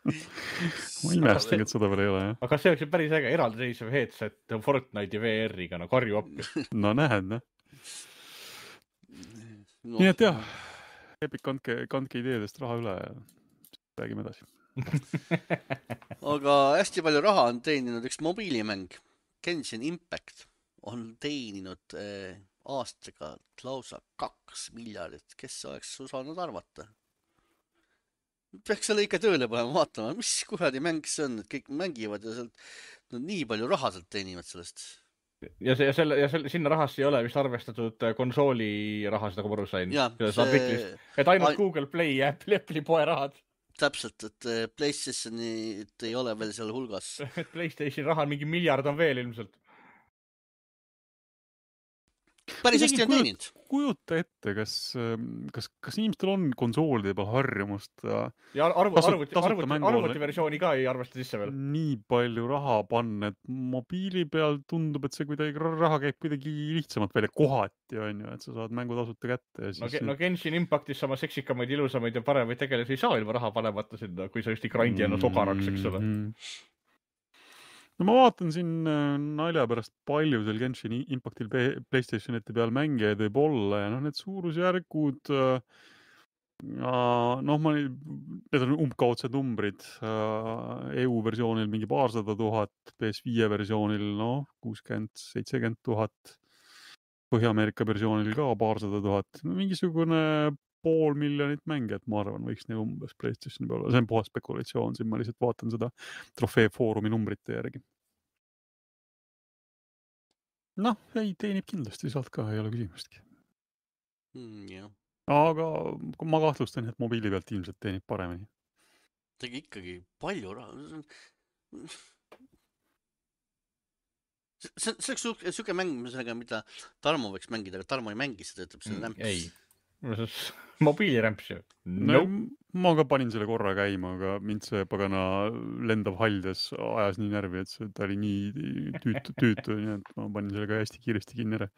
Ma imestagi, et seda veel ei ole, jah. Aga see oleks ju päris äge eraldiseisev headset Fortnite'i VR-iga, no karju appi. No näed, noh. Nii et jah, Epic kandke ideedest raha üle ja räägime edasi. Aga hästi palju raha on teeninud üks mobiilimäng. Genshin Impact on teeninud aastaga lausa 2 miljardit. Kes oleks osanud arvata? Peaks selle ikka tööle panema vaatama, mis kuradi mäng see on, et kõik mängivad ja sealt nii palju raha sealt teenivad sellest. Ja sinna rahasse ei ole vist arvestatud konsooli raha, seda kui ma aru sain. Et ainult Google Play ja Apple'i poe rahad. Täpselt, et PlayStationit ei ole veel seal hulgas. PlayStation raha mingi miljard on veel ilmselt. Päris hästi on teeninud. Kujuta ette, kas inimestel on konsoolide peal harjumust ja arvuti versiooni ka ei arvesta sisse veel. Nii palju raha panna, et mobiili peal tundub, et see kuidagi raha käib kuidagi lihtsamalt välja kohati, on ju, et sa saad mängu tasuta kätte. Ja siis... No Genshin Impactis sama seksikamaid, ilusamaid ja paremaid tegelasi ei saa ilma raha panemata sinna, kui sa just ei grindi ennast ogaraks, eks ole. no ma vaatan siin nalja pärast palju seal Genshin Impactil PlayStationite peal mängijaid võib olla ja noh, need suurusjärgud need on umbkaudsed numbrid. EU versioonil mingi 200 000, PS5 versioonil 60-70 000, Põhja-Ameerika versioonil ka 200 000. Mingisugune 500,000 mängijat, ma arvan, võiks neil umbes PlayStationi peal olla. See on puhas spekulatsioon, siin ma lihtsalt vaatan seda trofee foorumi numbrite järgi. Noh, ei teenib kindlasti sealt ka, ei ole küsimustki. Jah. Aga ma kahtlustan, et mobiili pealt ilmselt teenib paremini. Tegi ikkagi palju raha. See oleks siuke mäng, mida Tarmo võiks mängida, aga Tarmo ei mängi seda, ütleb selle rämps. Ei, mobiilirämps ju. No, ma ka panin selle korra käima, aga mind see pagana lendav haldes ajas nii närvi, et ta oli nii tüütu, nii et ma panin selle ka hästi kiiresti kinni ära.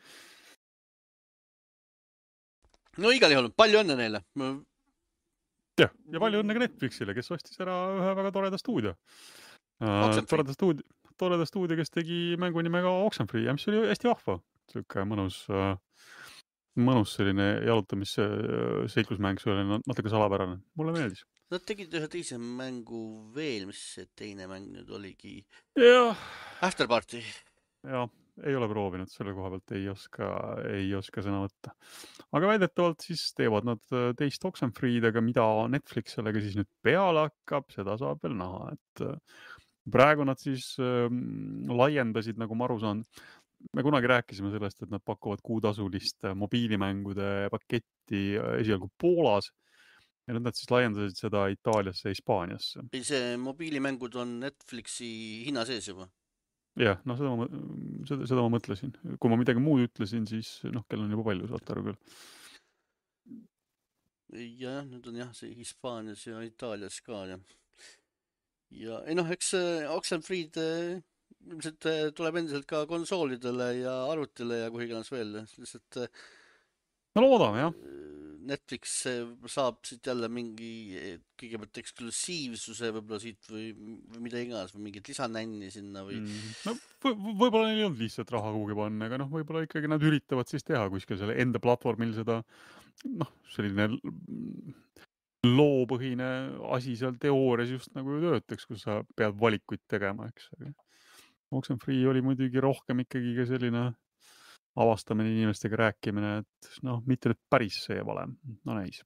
No igal juhul, palju õnne neile. Ja palju õnne ka Netflixile, kes ostis ära ühe väga toreda stuudio. Toreda stuudio, kes tegi mängu nimega Oxenfree, mis oli hästi vahva. Siuke mõnus selline jalutamis-seiklusmäng, see oli natuke salapärane. Mulle meeldis. Nad tegid ühe teise mängu veel, mis see teine mäng nüüd oligi? Afterparty. Jah. Ei ole proovinud, selle koha pealt ei oska sõna võtta. Aga väidetavalt siis teevad nad teist Oxenfreed, aga mida Netflix sellega siis nüüd peale hakkab, seda saab veel näha. Et praegu nad siis laiendasid, nagu ma aru saan. Me kunagi rääkisime sellest, et nad pakuvad kuutasulist mobiilimängude paketti esialgu Poolas. Ja nad siis laiendasid seda Itaaliasse ja Hispaaniasse. See mobiilimängud on Netflixi hinna sees juba? Jah, seda ma mõtlesin. Kui ma midagi muud ütlesin, siis kell on juba palju, saate aru küll. Ja, nüüd on see Hispaanias ja Itaalias ka. Ja eks Oxenfreed ilmselt tuleb endiselt ka konsoolidele ja arvutile ja kuhiganes veel. Lihtsalt no loodame, jah. Netflix saab siit jälle mingi kõigepealt eksklusiivsuse võib-olla siit või mida iganes või mingit lisanänni sinna või... No võib-olla neil ei olnud lihtsalt raha kuhugi panna, aga võib-olla ikkagi nad üritavad siis teha kuskil selle enda platvormil seda selline loopõhine asi seal teoorias just nagu töötaks, kus sa pead valikuid tegema, eks. Oxenfree oli muidugi rohkem ikkagi ka selline avastamine, inimestega rääkimine, et mitte nüüd päris see valem. No näis.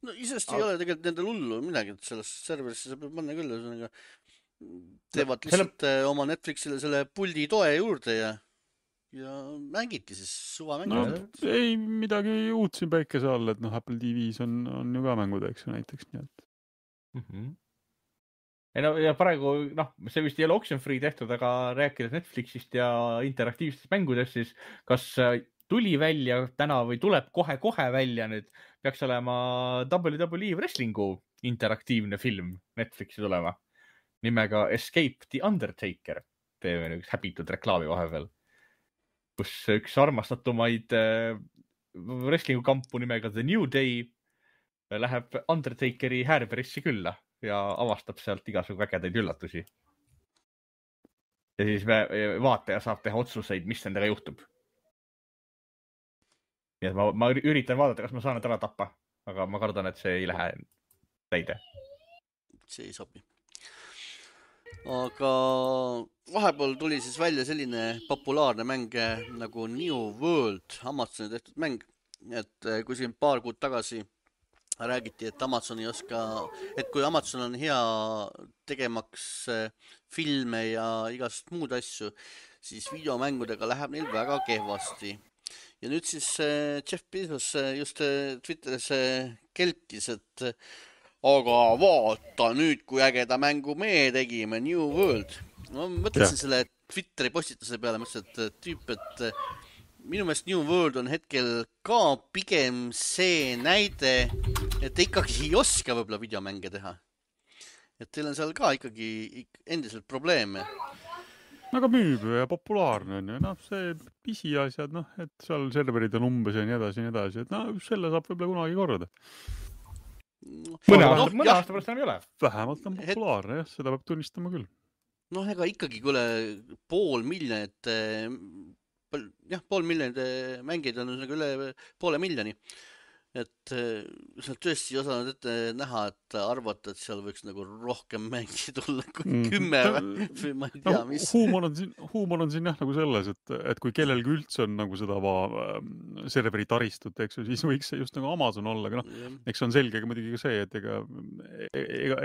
No isest ei ole tegelikult nendel hullu midagi, et selles serverisse sa peab panna küll. Teevad lihtsalt oma Netflixile selle puldi toe juurde ja mängiti siis suva mängida. No ei midagi uut siin päikese all, et Apple TV-s on ju ka mängud, eks näiteks. Nii et. Ja praegu, see vist ei ole Oxenfree tehtud, aga rääkides Netflixist ja interaktiivsetest mängudest, siis kas tuli välja täna või tuleb kohe välja nüüd, peaks olema WWE Wrestlingu interaktiivne film Netflixi tulema nimega Escape the Undertaker. Teeme üks häbitud reklaami vahepeal, kus üks armastatumaid wrestlingu kampu nimega The New Day läheb Undertakeri Härberissi külla ja avastab sealt igasugu vägedaid üllatusi. Ja siis vaataja saab teha otsuseid, mis nendega juhtub. Nii et ma üritan vaadata, kas ma saan need ära tappa, aga ma kardan, et see ei lähe täide. See ei sobi. Aga vahepeal tuli siis välja selline populaarne mäng nagu New World, Amazoni tehtud mäng. Et kui siin paar kuud tagasi räägiti, et Amazon ei oska, et kui Amazon on hea tegemaks filme ja igast muud asju, siis videomängudega läheb neil väga kehvasti. Ja nüüd siis Jeff Bezos just Twitteris kelkis, et aga vaata nüüd, kui ägeda mängu me tegime, New World. Ma mõtlesin selle Twitteri postituse peale, mõtlesin, et tüüp, et minu meelest New World on hetkel ka pigem see näide, et ikkagi ei oska võib-olla videomänge teha. Et teil on seal ka ikkagi endiselt probleeme. Aga müüb ja populaarne on ju. See pisiasjad, et seal serverid on umbes ja nii edasi. Et selle saab võib-olla kunagi korda. Mõne aasta pärast enam ei ole. Vähemalt on populaarne, jah, seda peab tunnistama küll. noh, ega ikkagi kuule 500 000 500 000 mängijaid on üle 500 000. Et sa tõesti ei osanud ette näha, et arvata, et seal võiks nagu rohkem mängi tulla kui 10 või ma ei tea, mis. huumor on siin jah nagu selles, et kui kellelgi üldse on nagu seda serveri taristut, eks ju, siis võiks see just nagu Amazon olla, aga noh, eks see on selge muidugi ka see, et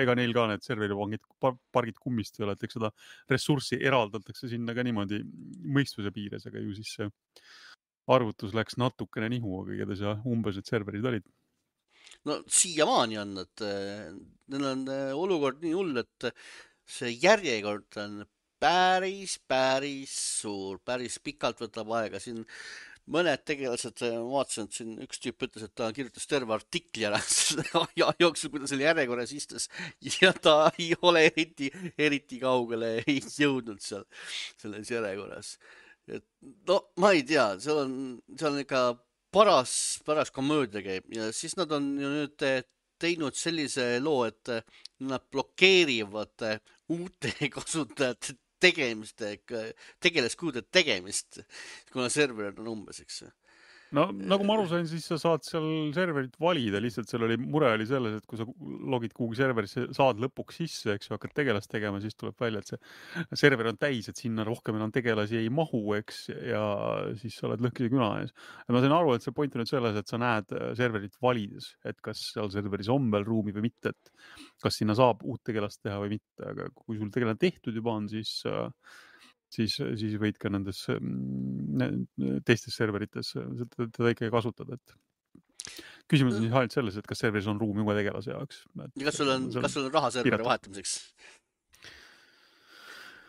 ega neil ka need serveripargid kummist ei ole, et eks seda ressurssi eraldatakse sinna ka niimoodi mõistuse piires, aga ju siis see arvutus läks natukene nihu, aga igatahes jah, umbes et serverid olid. No siiamaani on, et neil on olukord nii hull, et see järjekord on päris suur, päris pikalt võtab aega. Siin mõned tegelased, ma vaatasin, et siin üks tüüp ütles, et ta kirjutas terve artikli ära selle aja jooksul, kui ta selle järjekorras istus ja ta ei ole eriti kaugele ei jõudnud seal selles järjekorras. Et no ma ei tea, seal on ikka paras komöödia käib ja siis nad on ju nüüd teinud sellise loo, et nad blokeerivad uute kasutajate tegelaskuude tegemist, kuna serverid on umbes, eks. No nagu ma aru sain, siis sa saad seal serverit valida, lihtsalt seal oli mure oli selles, et kui sa logid kuhugi serverisse, saad lõpuks sisse, eks ju, hakkad tegelast tegema, siis tuleb välja, et see server on täis, et sinna rohkem enam tegelasi ei mahu, eks, ja siis sa oled lõhkise küna ees. Ja ma sain aru, et see point on nüüd selles, et sa näed serverit valides, et kas seal serveris on veel ruumi või mitte, et kas sinna saab uut tegelast teha või mitte, aga kui sul tegelane tehtud juba on, siis võid ka nendes teistes serverites teda ikkagi kasutada, et küsimus on siis ainult selles, et kas serveris on ruumi uue tegelase jaoks. Ja kas sul on raha serveri vahetamiseks?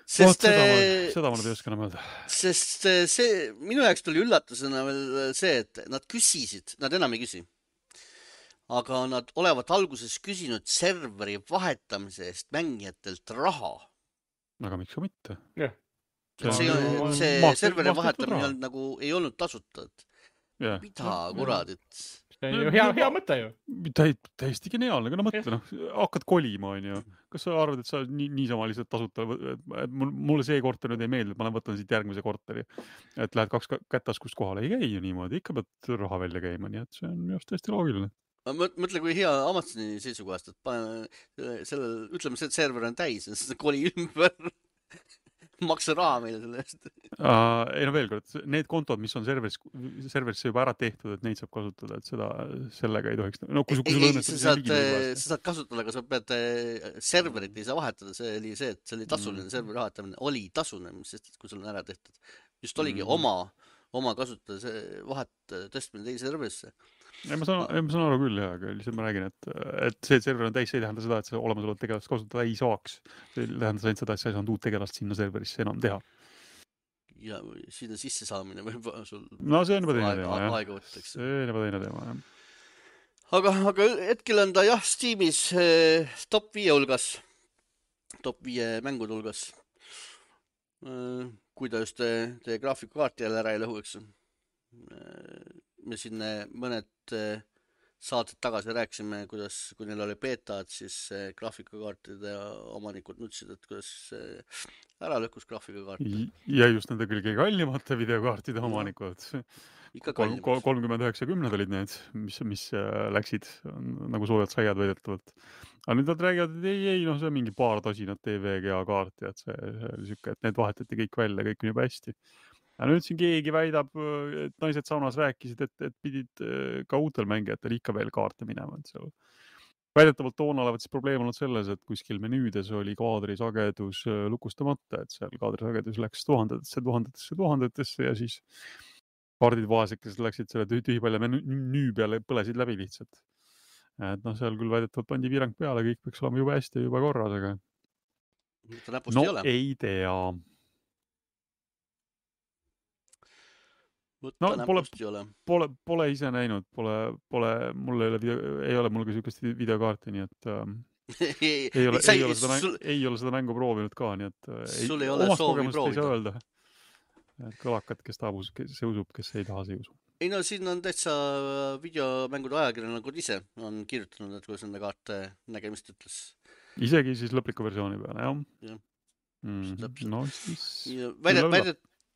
Seda ma nüüd ei oska enam öelda. Sest see, minu jaoks tuli üllatusena veel see, et nad küsisid, nad enam ei küsi, aga nad olevat alguses küsinud serveri vahetamise eest mängijatelt raha. Aga miks ka mitte? Jah. See serveri vahetamine nagu ei olnud tasutatud. Mida kuradit? See on ju hea mõte ju. Täiesti geniaalne, aga no mõtle, hakkad kolima, on ju. Kas sa arvad, et sa niisama lihtsalt tasuta, mulle see korter nüüd ei meeldi, ma võtan siit järgmise korteri, et lähed 2 kättaskust kohale, ei käi ju niimoodi, ikka pead raha välja käima, nii et see on just hästi loogiline. Mõtle, kui hea Amazoni seisukohast, et ütleme, see server on täis, koli ümber maksa raha meile selle eest. Ei no veel kord, need kontod, mis on serverisse juba ära tehtud, et neid saab kasutada, et sellega ei tohiks. No, kui sa saad kasutada, aga sa pead serverit ei saa vahetada. See oli see, et see oli tasuline serveri vahetamine. Oli tasuline, sest kui sul on ära tehtud. Just oligi oma kasutada vahet tõstmine teise serverisse. Ma saan aru küll, aga lihtsalt ma räägin, et see server on täis, see ei tähenda seda, et see olemasolevat tegelast kasutada ei saaks. See tähendas ainult seda, et sa ei saanud uut tegelast sinna serverisse enam teha. Ja sinna sisse saamine võib sul see on juba teine teema, aega võttaks. See on juba teine teema, jah. Aga hetkel on ta jah Steamis top 5 hulgas, top 5 mängude hulgas. Kui ta just teie graafikakaarti jälle ära ei lõhu, eks. Me siin mõned saated tagasi rääkisime, kuidas, kui neil oli beetad, siis graafikakaartide omanikud nutsid, et kuidas ära lõhkus graafikakaarte. Ja just nende kõige kallimate videokaartide omanikud. 3090 olid need, mis läksid nagu soojad saiad väidetavalt. Aga nüüd nad räägivad, et ei, see on mingi paar tosinat TVGA kaarti, et see oli siuke, et need vahetati kõik välja, kõik on juba hästi. Ja nüüd siin keegi väidab, et naised saunas rääkisid, et pidid ka uutel mängijatel ikka veel kaarte minema. Väidetavalt toona olevat siis probleem olnud selles, et kuskil menüüdes oli kaadrisagedus lukustamata, et seal kaadrisagedus läks tuhandetesse ja siis kaardid vaesekesed läksid selle tühipalja menüü peale, põlesid läbi lihtsalt. Et seal küll väidetavalt pandi piirang peale, kõik peaks olema juba hästi, juba korras, aga ei tea. Pole ise näinud, mul ei ole mul ka siukest videokaarti, nii et ei ole seda mängu proovinud ka, nii et sul ei ole soovi proovida. Kõlakad, kes tahab, see usub, kes ei taha, see usu. Ei no siin on täitsa videomängude ajakirjanikud ise on kirjutanud, et kuidas nende kaarte nägemist ütles. Isegi siis lõpliku versiooni peale, jah? Täpselt. No siis Ja küll olla.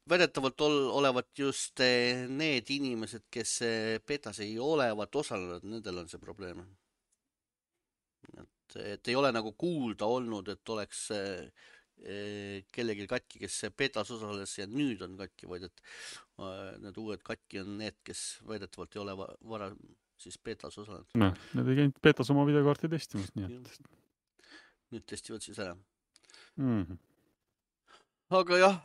väidetavalt olevat just need inimesed, kes betas ei olevat osalenud, nendel on see probleem. Et ei ole nagu kuulda olnud, et oleks kellelgi katki, kes betas osales ja nüüd on katki, vaid et need uued katki on need, kes väidetavalt ei ole varem siis betas osalenud. Noh, need ei käinud betas oma videokaarti testimas, nii et. Nüüd testivad siis ära. Aga jah,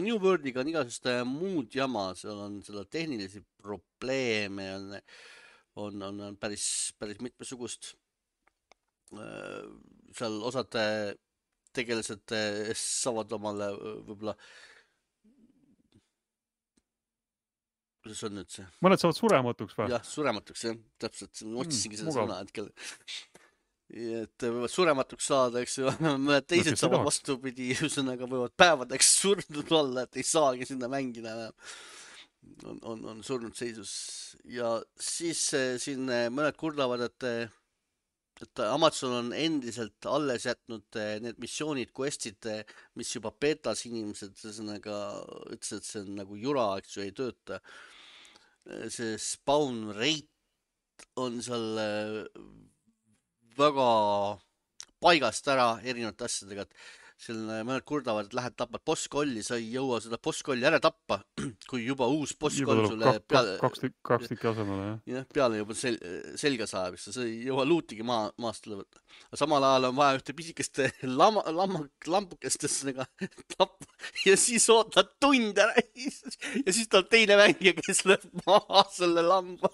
New Worldiga on igasugust muud jama, seal on seda tehnilisi probleeme, on päris mitmesugust. Seal osad tegelased saavad omale võib-olla, kuidas on nüüd see? Mõned saavad surematuks või? Jah, surematuks, jah, täpselt, otsisingi seda mugav. sõna hetkel. Et võivad surematuks saada, eks ju, mõned teised saavad vastupidi, ühesõnaga võivad päevadeks surnud olla, et ei saagi sinna mängida enam. On surnud seisus. Ja siis siin mõned kurdavad, et Amazon on endiselt alles jätnud need missioonid, questid, mis juba betas inimesed ühesõnaga ütles, et see on nagu jura, eks ju, ei tööta. See spawn rate on seal väga paigast ära erinevate asjadega, et seal mõned kurdavad, et lähed tapad bosskolli, sa ei jõua seda bosskolli ära tappa, kui juba uus bosskoll sulle kaks tükki asemele, jah? Jah, peale juba selga saab, sa ei jõua luutigi maast üle võtta. Samal ajal on vaja ühte pisikest lampukest tappa ja siis ootad tund ära ja siis tuleb teine mängija, kes lööb maha selle lamba.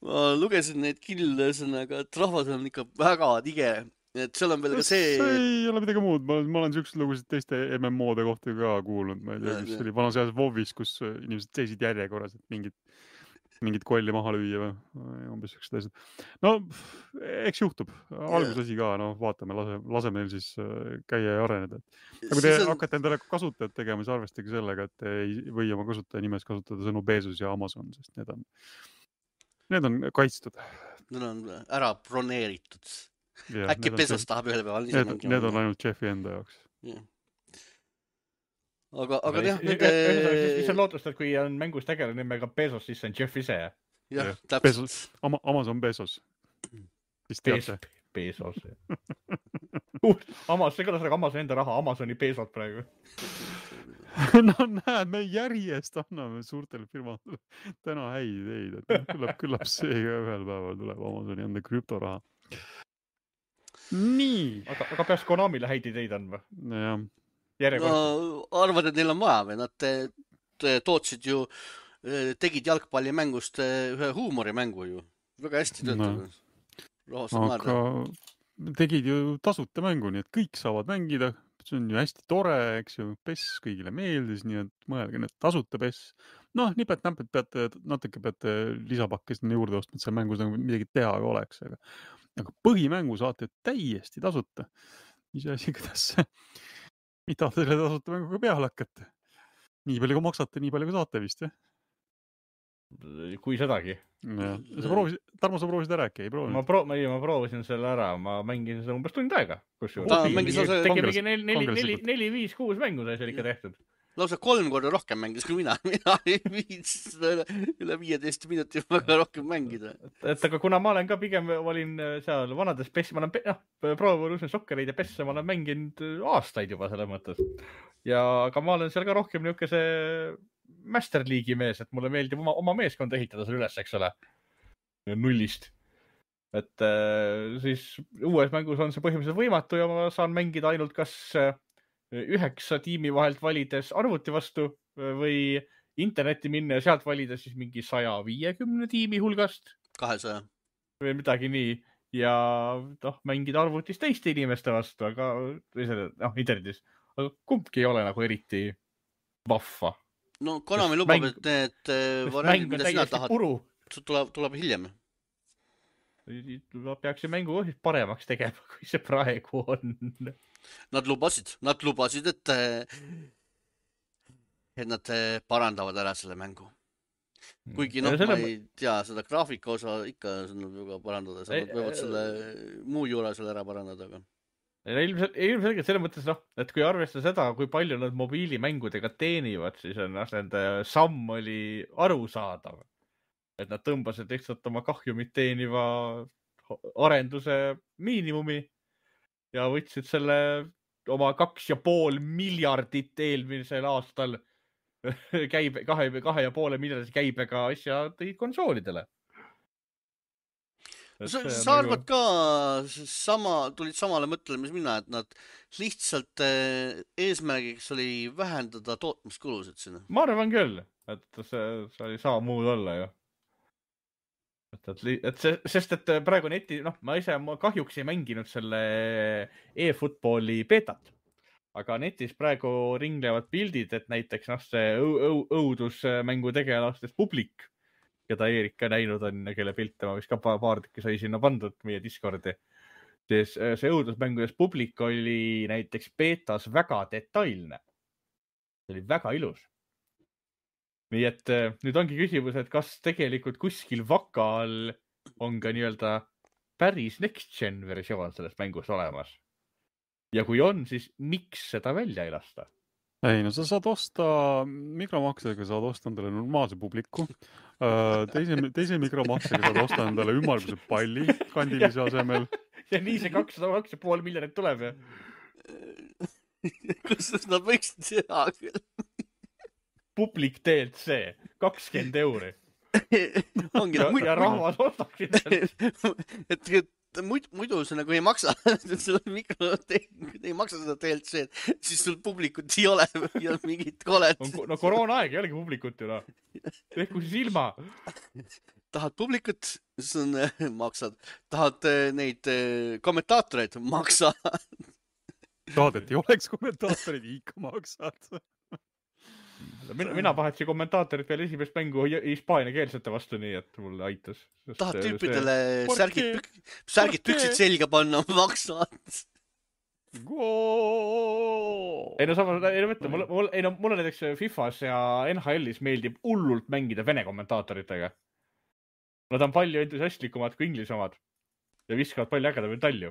Ma lugesin neid kille, et rahvas on ikka väga tige. Et seal on veel ka see... See ei ole midagi muud. Ma olen siuksed lugusid teiste MMO-de kohta ka kuulnud. Ma ei tea, kus oli vanas ajas WoW'is, kus inimesed seisid järjekorras, et mingit kolli maha lüüa või umbes siuksed asjad. No, eks juhtub. Algusasi ka, no vaatame, laseme neil siis käia ja areneda. Ja kui te hakkate endale kasutajad tegema, siis arvestage sellega, et ei või oma kasutaja nimes kasutada sõnu Bezos ja Amazon, sest need on kaitstud. Need on ära broneeritud. Ja, äkki Bezos tahab ühel päeval ise mängima. Need on ainult Jeffi enda jaoks. Aga jah, siis on lootust, et kui on mängus tegelane nimega Bezos, siis on Jeff ise. Jah, täpselt. Amazon Bezos. Siis teate. Bezos. See kõlas nagu Amazoni enda raha, Amazoni Bezos praegu. No näed, me järjest anname suurtele firmadele täna häid ideid, et küllap see ühel päeval tuleb Amazoni enda krüptoraha. Nii. Aga peaks Konamile häid ideid andma? Jah. No, arvad, et neil on vaja või? Nad tootsid ju, tegid jalgpallimängust ühe huumorimängu ju. Väga hästi töötavad. Aga tegid ju tasuta mängu, nii et kõik saavad mängida. See on ju hästi tore, eks ju, PES kõigile meeldis, nii et mõelge need tasuta PES. Noh, nipet-näpet natuke peate lisapakke sinna juurde ostma, et seal mängus nagu midagi teha ei oleks. Aga põhimängu saate täiesti tasuta. Mis asi, kuidas mida te selle tasuta mänguga peale hakkate? Nii palju kui maksate, nii palju kui saate vist, jah? Kui sedagi. Tarmo, sa proovisid ära äkki? Ei proovinud? Ma proovisin selle ära, ma mängisin seda umbes tund aega. Tegi mingi 4, 5, 6 mängu sai seal ikka tehtud. Lausa 3 korda rohkem mängis kui mina ei viits üle 15 minuti väga rohkem mängida. Et aga kuna ma olen ka pigem olin seal vanades PES, ma olen proovinud sokkereid ja PES-e ma olen mänginud aastaid juba selle mõttes. Aga ma olen seal ka rohkem niukese Master League'i mees, et mulle meeldib oma meeskond ehitada seal üles, eks ole, nullist. Et siis uues mängus on see põhimõtteliselt võimatu ja ma saan mängida ainult kas 9 tiimi vahelt valides arvuti vastu või internetti minna ja sealt valida siis mingi 150 tiimi hulgast. 200. Või midagi nii. Ja mängida arvutis teiste inimeste vastu, aga internetis. Aga kumbki ei ole nagu eriti vahva. No Konami lubab, et need variandid, mida sina tahad, tuleb hiljem. Ma peaks mängu paremaks tegema, kui see praegu on. Nad lubasid, et nad parandavad ära selle mängu. Kuigi ma ei tea, seda graafika osa ikka väga parandada, nad võivad selle muu juure selle ära parandada. Aga... ilmselgelt selles mõttes, et kui arvestada seda, kui palju nad mobiilimängudega teenivad, siis on nende samm oli arusaadav. Et nad tõmbasid lihtsalt oma kahjumit teeniva arenduse miinimumi ja võtsid selle oma 2,5 miljardit eelmisel aastal 2,5 miljardit käibega asja tõid konsoolidele. Sa arvad ka tulid samale mõttele, mis mina, et nad lihtsalt eesmärgiks oli vähendada tootmiskulusid sinna? Ma arvan küll, et see ei saa muud olla ju. Sest et praegu neti, ma kahjuks ei mänginud selle e-footballi beetat, aga netis praegu ringlevad pildid, et näiteks see õudusmängu tegelastest publik, keda Eerik ka näinud on, kelle pilte ma vist ka paar tükki sai sinna pandud meie Discordi. See õudusmängudes publik oli näiteks beetas väga detailne. See oli väga ilus. Nii et nüüd ongi küsimus, et kas tegelikult kuskil vakal on ka nii-öelda päris next gen versioon sellest mängust olemas. Ja kui on, siis miks seda välja ei lasta? Ei, no sa saad osta mikromaksega, saad osta endale normaalse publiku. Teise mikromaksega saad osta endale ümmarguse palli kandilise asemel. Ja nii see 2,5 miljonit tuleb, ja? Kus nad võiksid teha küll? Publik DLC, 20 €. Ja rahvas ostaksid. Et muidu see nagu ei maksa, ei maksa seda DLC, siis sul publikut ei ole ja mingit kolet. No koroona aeg ei olegi publikut ju, Tehku siis ilma. Tahad publikut, siis maksad. Tahad neid kommentaatoreid, maksa. Tahad, et ei oleks kommentaatoreid, ikka maksad. Mina pahetsin kommentaatorid veel esimest mängu hispaaniakeelsete vastu, nii et mulle aitas. Tahad tüüpidele särgid püksid selga panna, maksad. Ei no samas, mulle näiteks FIFAs ja NHL-is meeldib hullult mängida vene kommentaatoritega. Nad on palju entusiastlikumad kui inglise omad ja viskavad palju ägedamaid talju.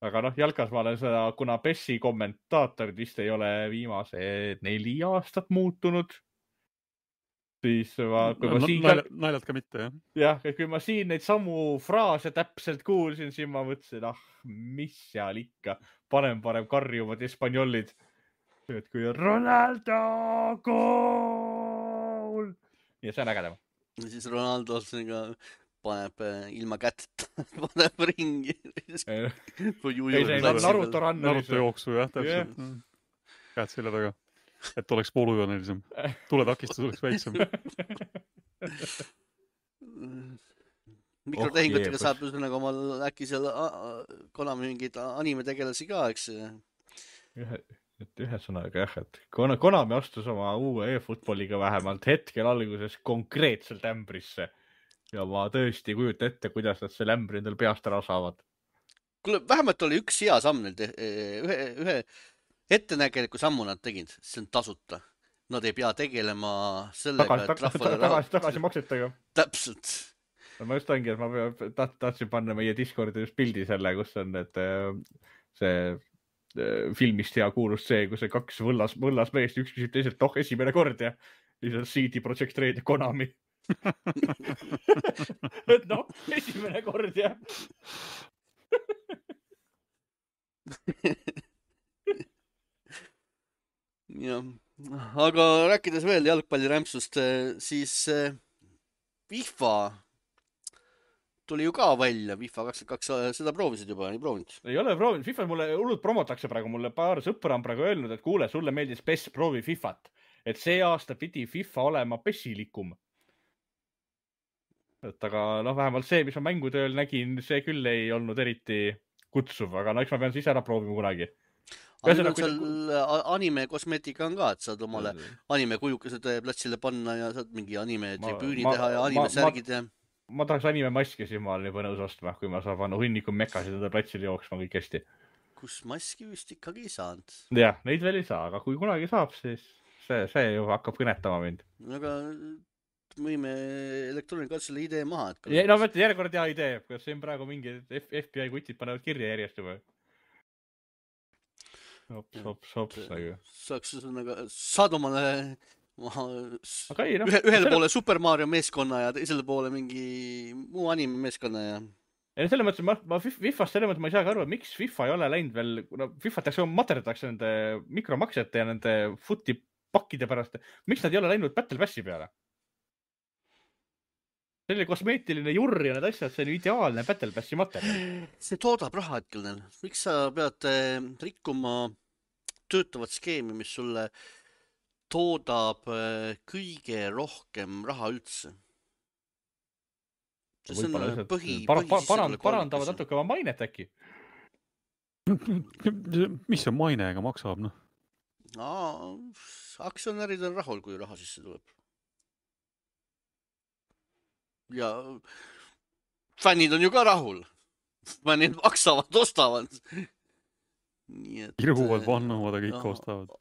Aga jalkas ma olen seda, kuna PES-i kommentaatorid vist ei ole viimased 4 aastat muutunud, siis naljalt ka mitte, jah? Jah, et kui ma siin neid samu fraase täpselt kuulsin, siis ma mõtlesin, mis seal ikka, parem karjuvad espanjolid. Et kui Ronaldo goal! Ja see on ägedam. Ja siis Ronaldo paneb ilma kätt, paneb ringi. Naruto jooksu, jah, täpselt. Käed selja taga, et oleks poolujoonelisem. Tuletakistus oleks väiksem. Mikrotehingutega saab nagu omal äkki seal Konami mingid animetegelasi ka, eks. Ühesõnaga jah, et Konami astus oma uue e-footballiga vähemalt hetkel alguses konkreetselt ämbrisse. Ja ma tõesti kujuta ette, kuidas nad selle ämbri endal peast ära saavad. Kuule, vähemalt oli üks hea samm neil. Ühe ettenägeliku sammu nad tegid. See on tasuta. Nad ei pea tegelema sellega, et tagasi maksetega. Täpselt. Ma just ongi, et ma tahtsin panna meie Discordi just pildi selle, kus on see filmist hea kuulus see, kus see 2 võllas meest, üks küsib teiselt, esimene kord ja lihtsalt CD Projekt Red ja Konami. Et esimene kord, jah. Ja, aga rääkides veel jalgpallirämpsust, siis FIFA tuli ju ka välja, FIFA 22, seda proovisid juba, ei proovinud? Ei ole proovinud, FIFA mulle hullult promotakse praegu, mulle paar sõpra on praegu öelnud, et kuule, sulle meeldis PES, proovi FIFAt, et see aasta pidi FIFA olema PES-ilikum. Et aga vähemalt see, mis ma mängutööl nägin, see küll ei olnud eriti kutsuv, aga eks ma pean siis ära proovima kunagi. Aga seal anime kosmeetika on ka, et saad omale anime kujukesed platsile panna ja saad mingi anime tribüüni teha ja anime särgid ja... Ma tahaks anime maski, siis ma olen juba nõus ostma, kui ma saan panna hunniku mekasid enda platsile jooksma kõik hästi. Kus maski vist ikkagi ei saanud? Jah, neid veel ei saa, aga kui kunagi saab, siis see ju hakkab kõnetama mind. Aga võime elektroonika selle idee maha. No mõtle, järjekord hea idee, kas siin praegu mingi FBI kutid panevad kirja järjest juba. Sops. Saaks saad omale Aga ei, ühele poole Super Mario meeskonna ja teisele poole mingi muu anime meeskonna ja selles mõttes, ma FIFAst selles mõttes ma ei saagi aru, miks FIFA ei ole läinud veel, FIFA materdatakse nende mikromaksete ja nende footi pakkide pärast. Miks nad ei ole läinud Battle Passi peale? Selline kosmeetiline jurr ja need asjad, see on ideaalne Battle Passi materjal. See toodab raha hetkel neil. Miks sa pead rikkuma töötavat skeemi, mis sulle toodab kõige rohkem raha üldse? See on parandavad natuke oma mainet äkki. Mis see mainega maksab? Aktsionärid on rahul, kui raha sisse tuleb. Ja fännid on ju ka rahul. Fännid maksavad, ostavad. Irhuvad, vannuvad ja kõik ostavad.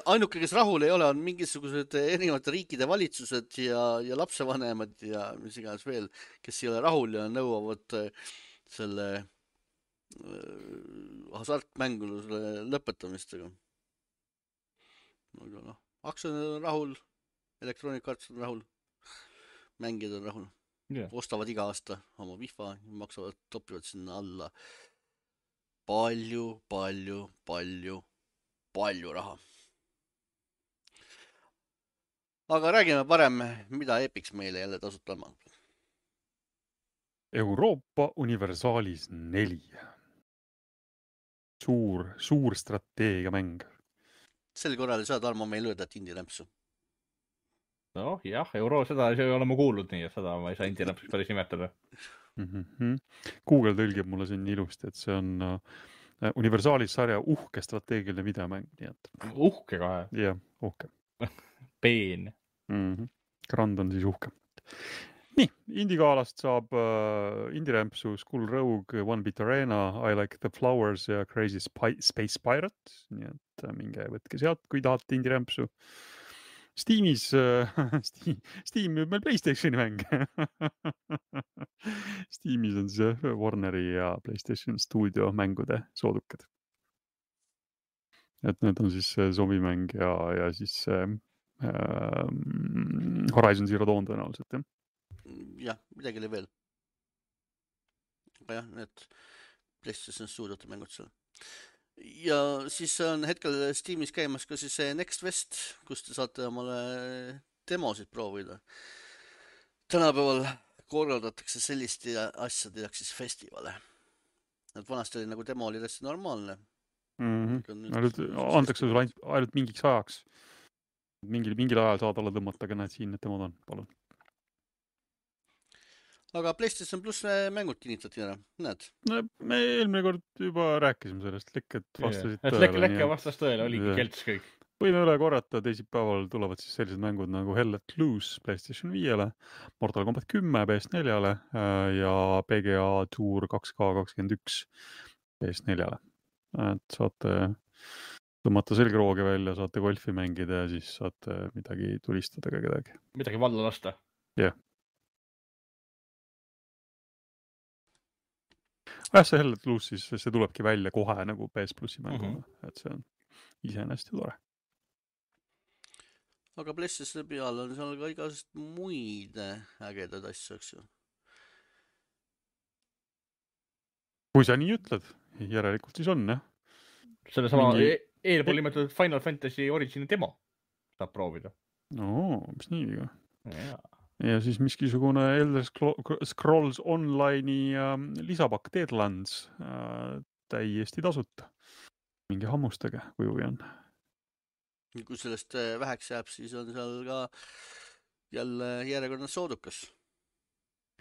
Ainuke, kes rahul ei ole, on mingisugused erinevate riikide valitsused ja lapsevanemad ja mis iganes veel, kes ei ole rahul ja nõuavad selle hasartmänguluse lõpetamistega. Aga aktsionärid on rahul, elektroonikaartid on rahul, mängijad on rahul. Ostavad iga aasta oma FIFA, maksavad, topivad sinna alla palju raha. Aga räägime parem, mida Epics meile jälle tasuta on. Euroopa Universaalis 4. Suur strateegiamäng. Sel korral ei saa Tarmo meil öelda, et indie rämpsu. Jah, seda ei ole ma kuulnud nii, et seda ma ei saa indie rämpsuks päris nimetada. Google tõlgib mulle siin ilusti, et see on Universaalis sarja uhke strateegiline videomäng. Uhke kahe? Jah, uhke. Peen. Grand on siis uhke. Nii, Indie-gaalast saab Indie-rämpsu Skull Rogue, One Bit Arena, I Like the Flowers ja Crazy Space Pirate. Nii et minge võtke sealt, kui tahate Indie-rämpsu. Steamis, Steam müüb meil PlayStationi mäng. Steamis on see Warneri ja PlayStation Studio mängude soodukad. Et need on siis zombimäng ja siis Horizon Zero Dawn tõenäoliselt, jah? Jah, midagi oli veel. Aga jah, need PlayStation Studiote mängud seal. Ja siis on hetkel Steamis käimas ka siis Next West, kus te saate omale demosid proovida. Tänapäeval korraldatakse sellist asja, tehakse siis festivale. Et vanasti oli nagu demo oli täiesti normaalne. Antakse sulle ainult mingiks ajaks. Mingil ajal saad alla tõmmata, aga näed siin, et demod on, palun. Aga PlayStation Plus mängud kinnitati ära, näed? No, me eelmine kord juba rääkisime sellest, lekket vastasid tõele. Lekke vastas tõele, oligi kelts kõik. Võime üle korrata, teisipäeval tulevad siis sellised mängud nagu Hell Let Loose PlayStation 5-le, Mortal Kombat 10 PS4-le ja PGA Tour 2K21 PS4-le. Et saate tõmmata selgroogi välja, saate golfi mängida ja siis saate midagi tulistada ka kedagi. Midagi valla lasta. Jah. See Hell Let Loose siis, see tulebki välja kohe nagu PS Plussi mänguna, et see on iseenesest tore. Aga PlayStation peal on seal ka igast muid ägedad asju, eks ju. Kui sa nii ütled, järelikult siis on, jah. Selle sama eelpool nimetatud Final Fantasy Origini demo saab proovida. Mis nii viga. Ja siis miskisugune Elder Scrolls Online'i lisapakk Deadlands täiesti tasuta. Mingi hammustage, kui huvi on. Kui sellest väheks jääb, siis on seal ka jälle järjekordne soodukas.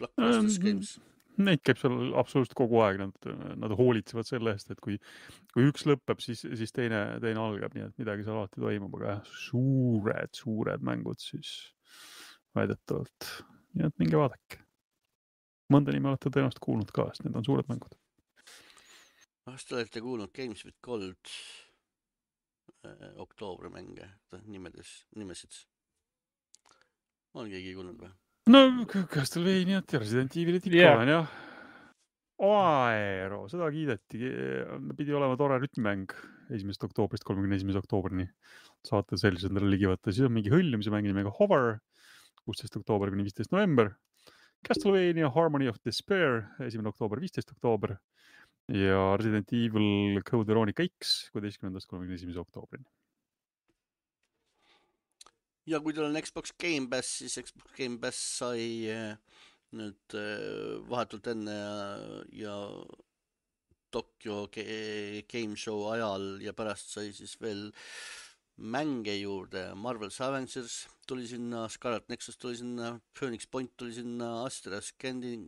Blockbusters Games. Neid käib seal absoluutselt kogu aeg. Nad hoolitsevad selle eest, et kui üks lõpeb, siis teine algab, nii et midagi seal alati toimub, aga suured mängud siis väidetavalt. Nii et minge vaadake. Mõnda nime olete tõenäoliselt kuulnud ka, sest need on suured mängud. Kas te olete kuulnud Games with Gold oktoobri mänge nimesid? On keegi kuulnud või? No, Castlevania ja Resident Evil'i tippa on jah. Aero, seda kiideti. Pidi olema tore rütmimäng 1. oktoobrist 31. oktoobrini. Saate sellised endale ligi võtta. Siis on mingi hõljumise mäng nimega Hover, 16. oktoober kuni 15. november. Castlevania Harmony of Despair, 1. oktoober, 15. oktoober. Ja Resident Evil Code Veronica X 16. 31. oktoobrini. Ja kui teil on Xbox Game Pass, siis Xbox Game Pass sai nüüd vahetult enne ja Tokyo Game Show ajal ja pärast sai siis veel mänge juurde. Marvel's Avengers tuli sinna, Scarlet Nexus tuli sinna, Phoenix Point tuli sinna, Astra Scanning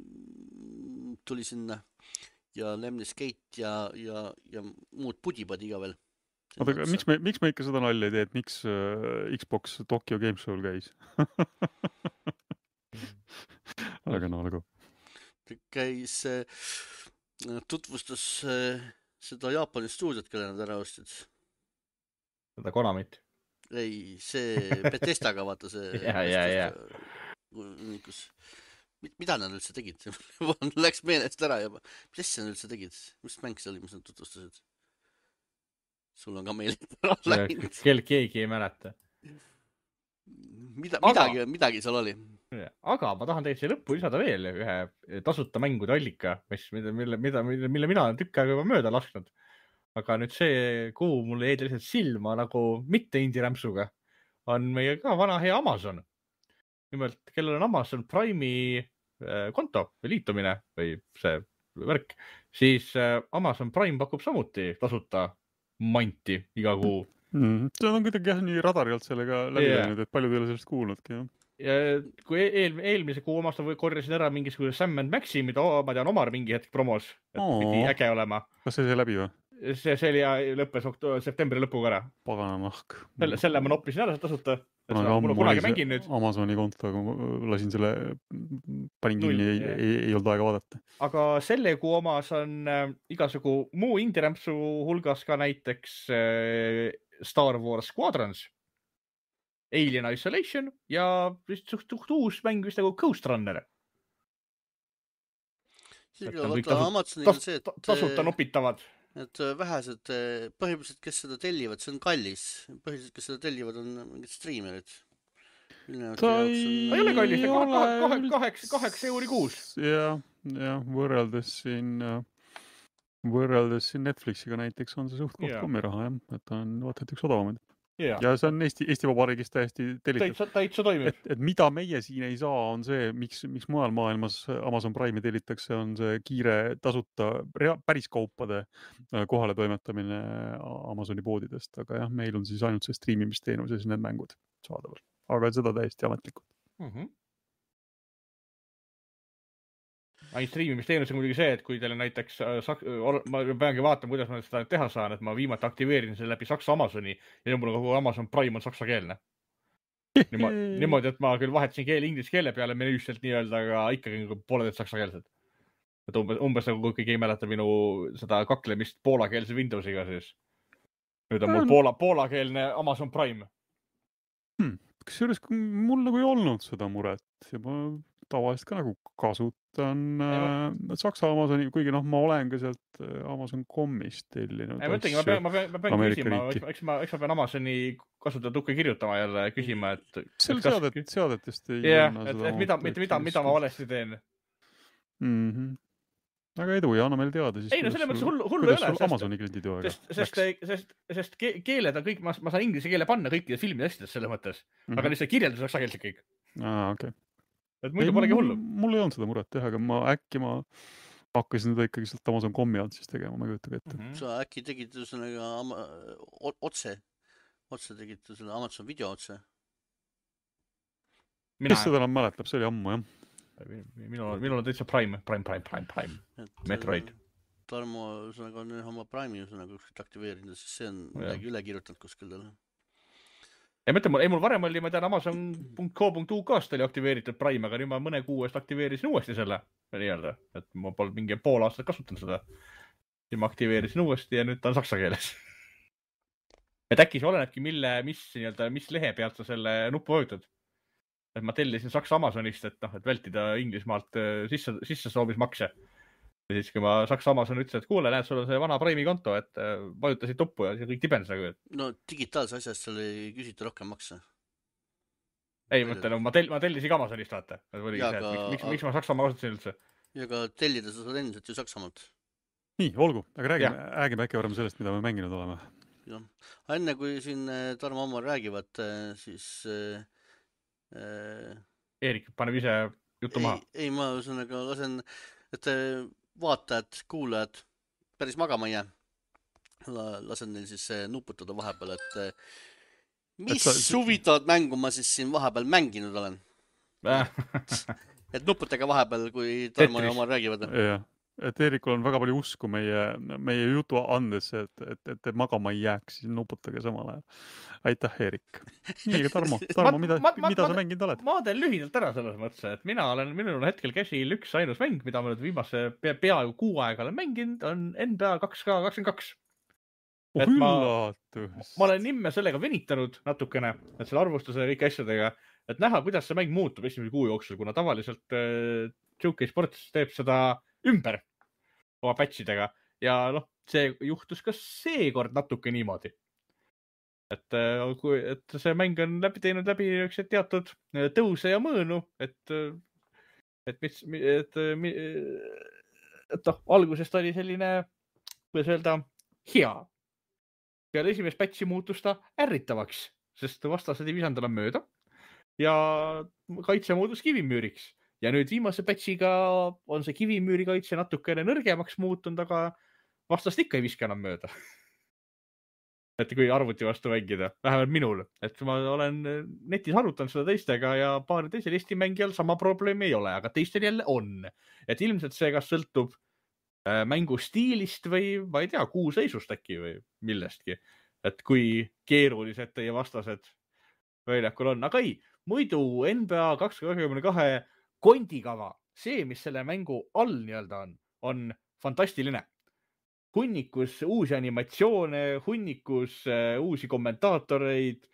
tuli sinna ja Lemnis Gate ja muud pudipadi ka veel. Oota, miks me ikka seda nalja ei tee, et miks Xbox Tokyo Game Show'l käis? Aga no nagu. Käis, tutvustas seda Jaapani stuudiot, kelle nad ära ostsid. Seda Konamit. Ei, see Bethesdaga vaata see. Ja. Mida nad üldse tegid? Läks meelest ära juba. Mis asja nad üldse tegid? Mis mäng see oli, mis nad tutvustasid? Sul on ka meelest ära läinud. Keegi ei mäleta. Midagi seal oli. Aga ma tahan tegelikult siia lõppu lisada veel ühe tasuta mängude allika, mille mina olen tükk aega juba mööda lasknud. Aga nüüd see, kuhu mulle jäi lihtsalt silma nagu mitte indie-rämpsuga, on meie ka vana hea Amazon. Nimelt, kellel on Amazon Prime'i konto või liitumine või see värk, siis Amazon Prime pakub samuti tasuta manti iga kuu. See on kuidagi jah nii radari alt sellega läbi läinud, et paljud ei ole sellest kuulnudki. Ja kui eelmise kuu omast korjasin ära mingisuguse Sam & Maxi, mida ma tean Omar mingi hetk promos, et pidi äge olema. Kas see läbi või? See oli ja lõppes septembri lõpuga ära. Pagana nahk. Selle ma noppisin ära tasuta. Mul kunagi mängin nüüd. Amazoni konto, lasin selle, panin kinni, ei olnud aega vaadata. Aga selle kuu omas on igasugu muu indie-rämpsu hulgas ka näiteks Star Wars Squadrons, Alien Isolation ja suht uus mäng vist nagu Ghost Runner. Tasuta nopitavad. Et vähesed, põhimõtteliselt, kes seda tellivad, see on kallis. Põhimõtteliselt, kes seda tellivad, on mingid streamerid. Ta ei ole kallis, 8 euri kuus. Ja, võrreldes siin Netflixiga näiteks on see suht koht kommiraha, et on vaata, et üks odavamaid. Ja see on Eesti Vabariigis täiesti tellitud. Täitsa toimib. Et mida meie siin ei saa, on see, miks mujal maailmas Amazon Prime'i tellitakse, on see kiire tasuta päris kaupade kohale toimetamine Amazoni poodidest. Aga jah, meil on siis ainult see streamimisteenus ja siis need mängud saadaval. Aga seda täiesti ametlikult. Ainult streamimisteenus on muidugi see, et kui teil on näiteks, ma peangi vaatama, kuidas ma seda teha saan, et ma viimati aktiveerin selle läbi Saksa Amazoni ja mul kogu Amazon Prime on saksakeelne. Niimoodi, et ma küll vahetasin inglise keele peale menüüselt nii-öelda, aga ikkagi pooled saksakeelsed. Et umbes nagu kui keegi ei mäleta minu seda kaklemist poolakeelse Windowsiga siis. Nüüd on mul poolakeelne Amazon Prime. Kusjuures mul nagu ei olnud seda muret ja ma tavaliselt ka nagu kasutan Saksa Amazoni, kuigi ma olen ka sealt Amazon.com'ist tellinud. Ma pean küsima, eks ma pean Amazoni kasutada tukke kirjutama jälle küsima, et seadetest ei mida ma valesti teen. Aga edu ja anna meil teada siis. Ei, no selle mõttes hullu ei ole. Amazoni kliendid ju aega. Sest keeled on kõik, ma saan inglise keele panna kõikide filmide asjadest selles mõttes, aga lihtsalt kirjeldus oleks sageldselt kõik. Okei. Et muidu polegi hullu. Mul ei olnud seda muret teha, aga ma hakkasin seda ikkagi sealt Amazon.com'i alt siis tegema, ma kujutan ette. Sa äkki tegid otse tegid selle Amazon video otse? Kes seda enam mäletab, see oli ammu, jah. Minul on täitsa Prime. Metroid. Tarmo on oma Prime'i aktiveerinud, siis see on midagi üle kirjutanud kuskil talle. Ja mõtle, mul varem oli, ma tean, Amazon.co.uk-st oli aktiveeritud Prime, aga nüüd ma mõne kuu eest aktiveerisin uuesti selle nii-öelda, et ma polnud mingi pool aastat kasutanud seda. Ja ma aktiveerisin uuesti ja nüüd ta on saksa keeles. Et äkki see olenebki, mis lehe pealt sa selle nuppu vajutad. Et ma tellisin Saksa Amazonist, et vältida Inglismaalt sisse soobismakse. Ja siis, kui ma Saksa Amazon ütlesin, et kuule, näed, sul on see vana Prime'i konto, et vajutasid tuppu ja see kõik tibenes nagu. No digitaalse asjast seal ei küsita rohkem makse. Ei, mõtle, ma tellisin ka Amazonist, vaata. Miks ma Saksamaa kasutasin üldse? Ja ka tellida sa saad endiselt ju Saksamaalt. Nii, olgu, aga räägime äkki varem sellest, mida me mänginud oleme. Ja. Enne kui siin Tarmo Ammar räägivad, siis... Eerik, paneb ise juttu maha. Ei, ma ühesõnaga lasen, et vaatajad, kuulajad päris magama ei jää. Lasen neil siis nuputada vahepeal, et mis huvitavat mängu ma siis siin vahepeal mänginud olen. Et nuputage vahepeal, kui Tarmo ja Omar räägivad. Jah, et Eerikul on väga palju usku meie jutu andesse, et te magama ei jääks, siis nuputage samal ajal. Aitäh, Eerik. Nii, aga Tarmo, mida sa mänginud oled? Ma teen lühidalt ära selles mõttes, et minul on hetkel käsil üks ainus mäng, mida ma nüüd viimase peaaegu 6 aega olen mänginud, on NBA 2K22. Ma olen nimme sellega venitanud natukene, et selle arvustuse ja kõik asjadega, et näha, kuidas see mäng muutub esimese kuu jooksul, kuna tavaliselt 2K Sports teeb seda ümber oma patchidega ja see juhtus ka seekord natuke niimoodi. Et see mäng on teinud läbi teatud tõuse ja mõõnu, et algusest oli selline, kuidas öelda, hea. Peale esimest patchi muutus ta ärritavaks, sest vastased ei visanud enam mööda ja kaitse muutus kivimüüriks. Ja nüüd viimase patchiga on see kivimüüri kaitse natukene nõrgemaks muutunud, aga vastast ikka ei viska enam mööda. Et kui arvuti vastu mängida, vähemalt minul. Et ma olen netis arutanud seda teistega ja paari teisel Eesti mängijal sama probleemi ei ole, aga teistel jälle on. Et ilmselt see kas sõltub mängu stiilist või, ma ei tea, kuu seisust äkki või millestki. Et kui keerulised teie vastased väljakul on. Aga ei, muidu NBA 2K22 kondikava, see, mis selle mängu all nii-öelda on fantastiline. Hunnikus uusi animatsioone, hunnikus uusi kommentaatoreid.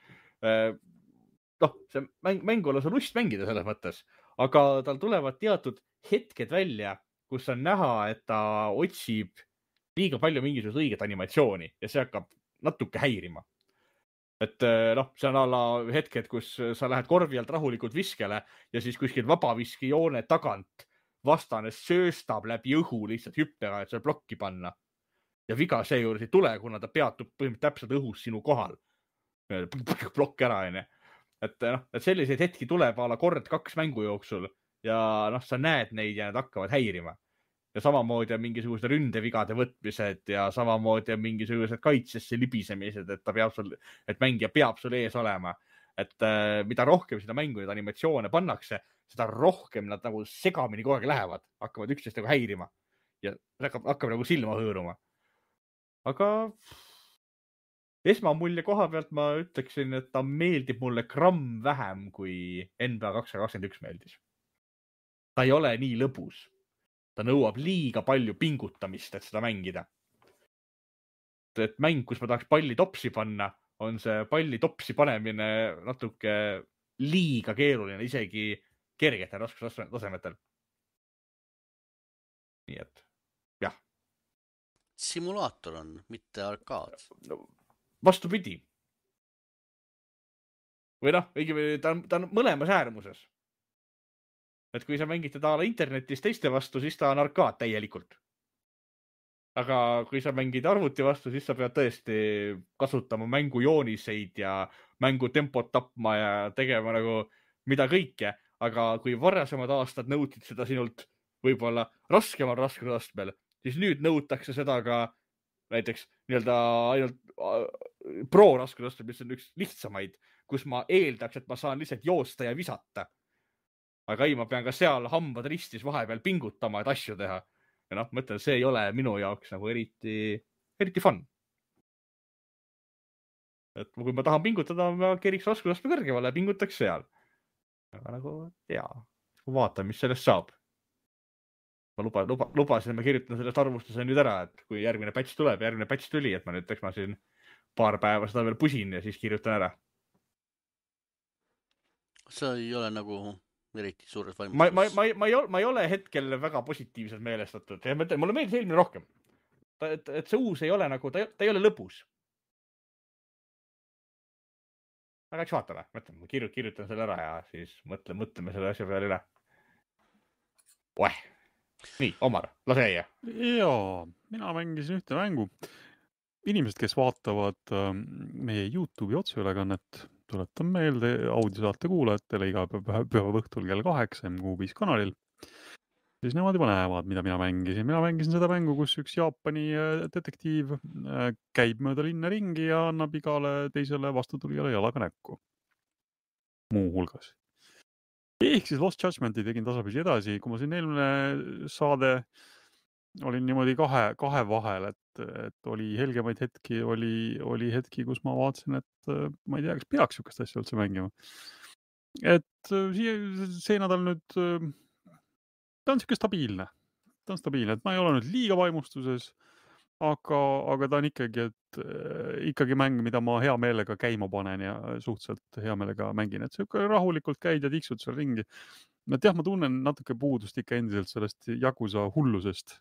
See mängu on lust mängida selles mõttes, aga tal tulevad teatud hetked välja, kus on näha, et ta otsib liiga palju mingisugust õiget animatsiooni ja see hakkab natuke häirima. Et see on alla hetked, kus sa lähed korvi alt rahulikult viskele ja siis kuskil vabaviskijoone tagant vastane sööstab läbi õhu lihtsalt hüppega, et seal plokki panna. Ja viga seejuures ei tule, kuna ta peatub põhimõtteliselt täpselt õhus sinu kohal. Plokk ära, enne. Et selliseid hetki tuleb ala kord 2 mängu jooksul ja sa näed neid ja need hakkavad häirima. Ja samamoodi on mingisugused ründevigade võtmised ja samamoodi on mingisugused kaitsesse libisemised, et mängija peab sul ees olema. Et mida rohkem seda mängu neid animatsioone pannakse, seda rohkem nad nagu segamini kogu aeg lähevad, hakkavad üksteist nagu häirima ja hakkab nagu silma hõõruma. Aga esmamulje koha pealt ma ütleksin, et ta meeldib mulle gramm vähem kui NBA 2K21 meeldis. Ta ei ole nii lõbus. Ta nõuab liiga palju pingutamist, et seda mängida. Et mäng, kus ma tahaks palli topsi panna, on see palli topsi panemine natuke liiga keeruline, isegi kergetel raskustasemetel. Nii et, jah. Simulaator on, mitte arkaad. Vastupidi. Või ta on mõlemas äärmuses. Et kui sa mängid teda internetis teiste vastu, siis ta on arkaad täielikult. Aga kui sa mängid arvuti vastu, siis sa pead tõesti kasutama mängujooniseid ja mängutempot tapma ja tegema nagu mida kõike. Aga kui varasemad aastad nõutid seda sinult võib-olla raskemal raskusastmel, siis nüüd nõutakse seda ka näiteks nii-öelda ainult pro raskusastmel, mis on üks lihtsamaid, kus ma eeldaks, et ma saan lihtsalt joosta ja visata. Aga ei, ma pean ka seal hambad ristis vahepeal pingutama, et asju teha. Ja mõtlen, see ei ole minu jaoks nagu eriti fun. Et kui ma tahan pingutada, ma keriks raskusastme kõrgemale ja pingutaks seal. Aga nagu, vaatan, mis sellest saab. Ma lubasin, ma kirjutan sellest arvustuse nüüd ära, et kui järgmine patch tuleb, järgmine patch tuli, et ma nüüd ma siin paar päeva seda veel pusin ja siis kirjutan ära. See ei ole nagu eriti suures ma vaimustuses. ei ole hetkel väga positiivselt meelestatud ja ma ütlen, mulle meeldis eelmine rohkem. Et see uus ei ole nagu, ta ei ole lõbus. Aga eks vaatame, mõtlen, ma kirjutan selle ära ja siis mõtleme selle asja peale üle. Nii, Omar, lase jäia. Jaa, mina mängisin ühte mängu. Inimesed, kes vaatavad meie YouTube'i otseülekannet, tuletan meelde audiosaate kuulajatele iga pühava õhtul kell 8 MQ5 kanalil. Siis nemad juba näevad, mida mina mängisin. Mina mängisin seda mängu, kus üks Jaapani detektiiv käib mööda linna ringi ja annab igale teisele vastutulijale jalaga näkku. Muu hulgas. Ehk siis Lost Judgmenti tegin tasapisi edasi. Kui ma siin eelmine saade olin niimoodi kahe vahel, et oli helgemaid hetki, oli hetki, kus ma vaatasin, et ma ei tea, kas peaks sihukest asja üldse mängima. Et see nädal nüüd, ta on sihuke stabiilne. Ta on stabiilne, et ma ei ole nüüd liiga vaimustuses, aga ta on ikkagi mäng, mida ma hea meelega käima panen ja suhteliselt hea meelega mängin, et sihuke rahulikult käid ja tiksud seal ringi. Et jah, ma tunnen natuke puudust ikka endiselt sellest Yakuza hullusest.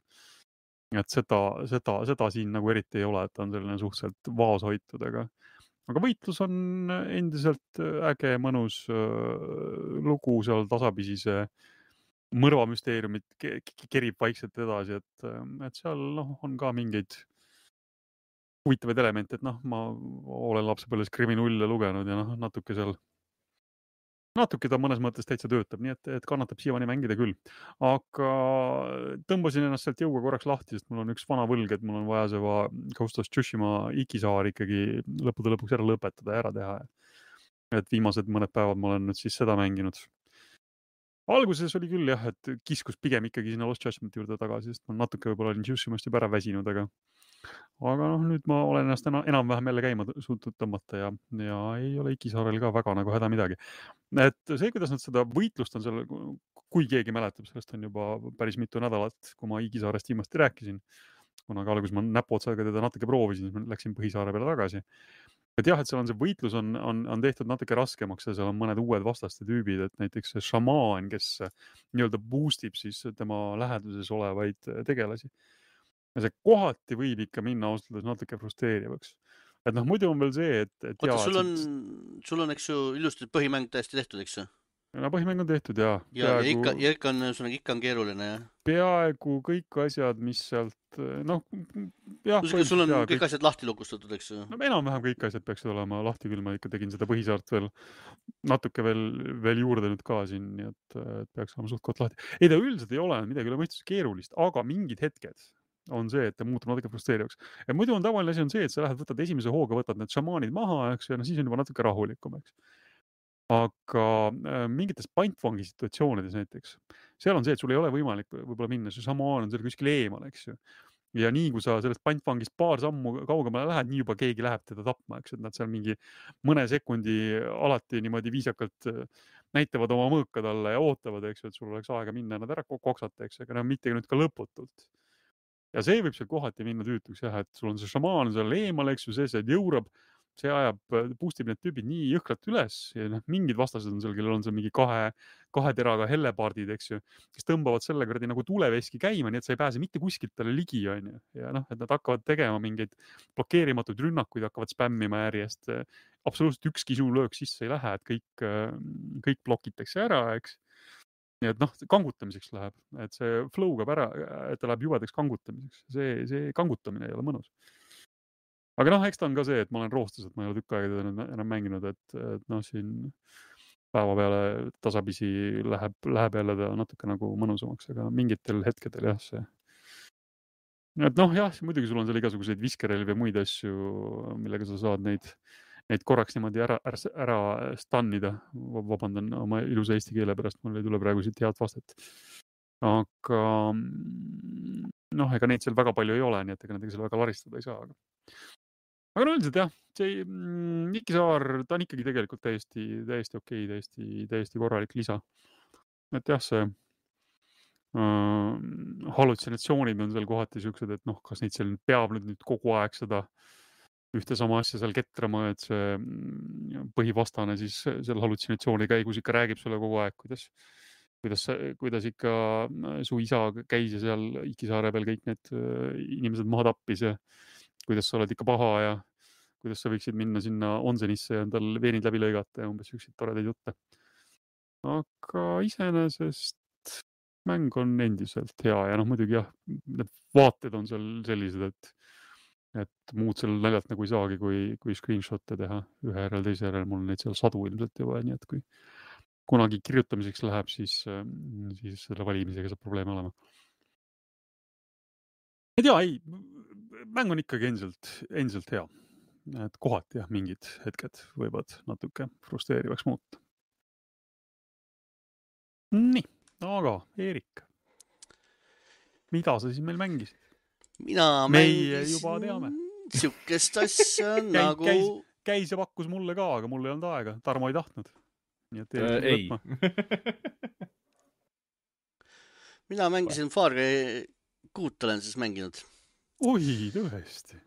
Et seda siin nagu eriti ei ole, et ta on selline suhteliselt vaoshoitud, aga võitlus on endiselt äge, mõnus lugu seal tasapisi see mõrvamüsteeriumit kerib vaikselt edasi, et seal on ka mingeid huvitavaid elemente, et ma olen lapsepõlves Kriminulle lugenud ja natuke ta mõnes mõttes täitsa töötab, nii et kannatab siiamaani mängida küll. Aga tõmbasin ennast sealt jõuga korraks lahti, sest mul on üks vana võlg, et mul on vaja see Ghost of Tsushima Ikisaar ikkagi lõppude lõpuks ära lõpetada ja ära teha. Et viimased mõned päevad ma olen nüüd siis seda mänginud. Alguses oli küll jah, et kiskus pigem ikkagi sinna Lost Judgmenti juurde tagasi, sest ma natuke võib-olla olin Tsushimast juba ära väsinud, aga nüüd ma olen ennast enam-vähem jälle käima suutnud tõmmata ja ei ole Ikisaarel ka väga nagu häda midagi. Et see, kuidas nad seda võitlust on seal, kui keegi mäletab, sellest on juba päris mitu nädalat, kui ma Ikisaarest viimasti rääkisin, kunagi alguses ma näpuotsaga teda natuke proovisin, siis ma läksin Põhisaare peale tagasi. Et jah, et seal on see võitlus on tehtud natuke raskemaks ja seal on mõned uued vastaste tüübid, et näiteks see šamaan, kes nii-öelda boostib siis tema läheduses olevaid tegelasi. Ja see kohati võib ikka minna ausalt natuke frustreerivaks. Et muidu on veel see, et oota, sul on, eks ju, ilusti põhimäng täiesti tehtud, eks ju? Põhimäng on tehtud, jaa. Ja ikka on keeruline, jah? Peaaegu kõik asjad, mis sealt, jah. Sul on kõik asjad lahti lukustatud, eks ju? Enam-vähem kõik asjad peaksid olema lahti, küll ma ikka tegin seda Põhisaart natuke veel juurde nüüd ka siin, nii et peaks olema suht koht lahti. Ei, ta üldiselt ei ole midagi üle mõistus keerulist, aga mingid hetked on see, et ta muutub natuke frustreerivaks. Ja muidu on tavaline asi on see, et sa lähed, võtad esimese hooga, võtad need šamaanid maha, eks, ja siis on juba natuke rahulikum, eks. Aga mingites pantvangi situatsioonides näiteks, seal on see, et sul ei ole võimalik võib-olla minna, see šamaan on seal kuskil eemal, eks ju. Ja nii, kui sa sellest pantvangist paar sammu kaugemale lähed, nii juba keegi läheb teda tapma, eks, et nad seal mingi mõne sekundi alati niimoodi viisakalt näitavad oma mõõka talle ja ootavad, eks ju, et sul oleks aega minna nad ära koksata, eks, aga mitte nüüd ka lõputult. Ja see võib seal kohati minna tüütuks jah, et sul on see šamaan seal eemal, eks ju, see jõurab, see ajab, boostib need tüübid nii jõhkralt üles ja mingid vastased on seal, kellel on seal mingi kahe teraga hellepardid, eks ju, kes tõmbavad selle kuradi nagu tuleveski käima, nii et sa ei pääse mitte kuskilt talle ligi, on ju. Ja et nad hakkavad tegema mingeid blokeerimatuid rünnakuid, hakkavad spämmima järjest. Absoluutselt ükski sinu löök sisse ei lähe, et kõik blokitakse ära, eks. Nii et kangutamiseks läheb, et see flow kaob ära, et ta läheb jubedaks kangutamiseks. See kangutamine ei ole mõnus. Aga eks ta on ka see, et ma olen roostes, et ma ei ole tükk aega teda enam mänginud, et siin päeva peale tasapisi läheb jälle ta natuke nagu mõnusamaks, aga mingitel hetkedel jah see. Et jah, muidugi sul on seal igasuguseid viskerelvi ja muid asju, millega sa saad neid korraks niimoodi ära stannida. Vabandan oma ilusa eesti keele pärast, mul ei tule praegu siit head vastet. Aga ega neid seal väga palju ei ole, nii et ega nendega seal väga laristada ei saa. Aga üldiselt jah, see Ikisaar, ta on ikkagi tegelikult täiesti okei, täiesti korralik lisa. Et jah, see hallutsinatsioonid on seal kohati siuksed, et kas neid seal peab nüüd kogu aeg seda ühte sama asja seal ketrama, et see põhivastane siis selle hallutsinatsiooni käigus ikka räägib sulle kogu aeg, kuidas ikka su isa käis ja seal Ikisaare peal kõik need inimesed maha tappis ja kuidas sa oled ikka paha ja kuidas sa võiksid minna sinna onsenisse ja endal veenid läbi lõigata ja umbes üksid toredaid jutte. Aga iseenesest mäng on endiselt hea ja muidugi jah, need vaated on seal sellised, et muud seal naljalt nagu ei saagi, kui screenshot'e teha ühe järel teise järel. Mul on neid seal sadu ilmselt juba, nii et kui kunagi kirjutamiseks läheb, siis selle valimisega saab probleeme olema. ei tea, mäng on ikkagi endiselt hea. Et kohati jah, mingid hetked võivad natuke frustreerivaks muuta. Nii, aga Eerik, mida sa siis meil mängisid? Mina Meie juba teame. Siukest asja nagu... Käis ja pakkus mulle ka, aga mul ei olnud aega. Tarmo ei tahtnud. Nii et ei. Mina mängisin Far Cry 6 olen siis mänginud. Oi, tõesti.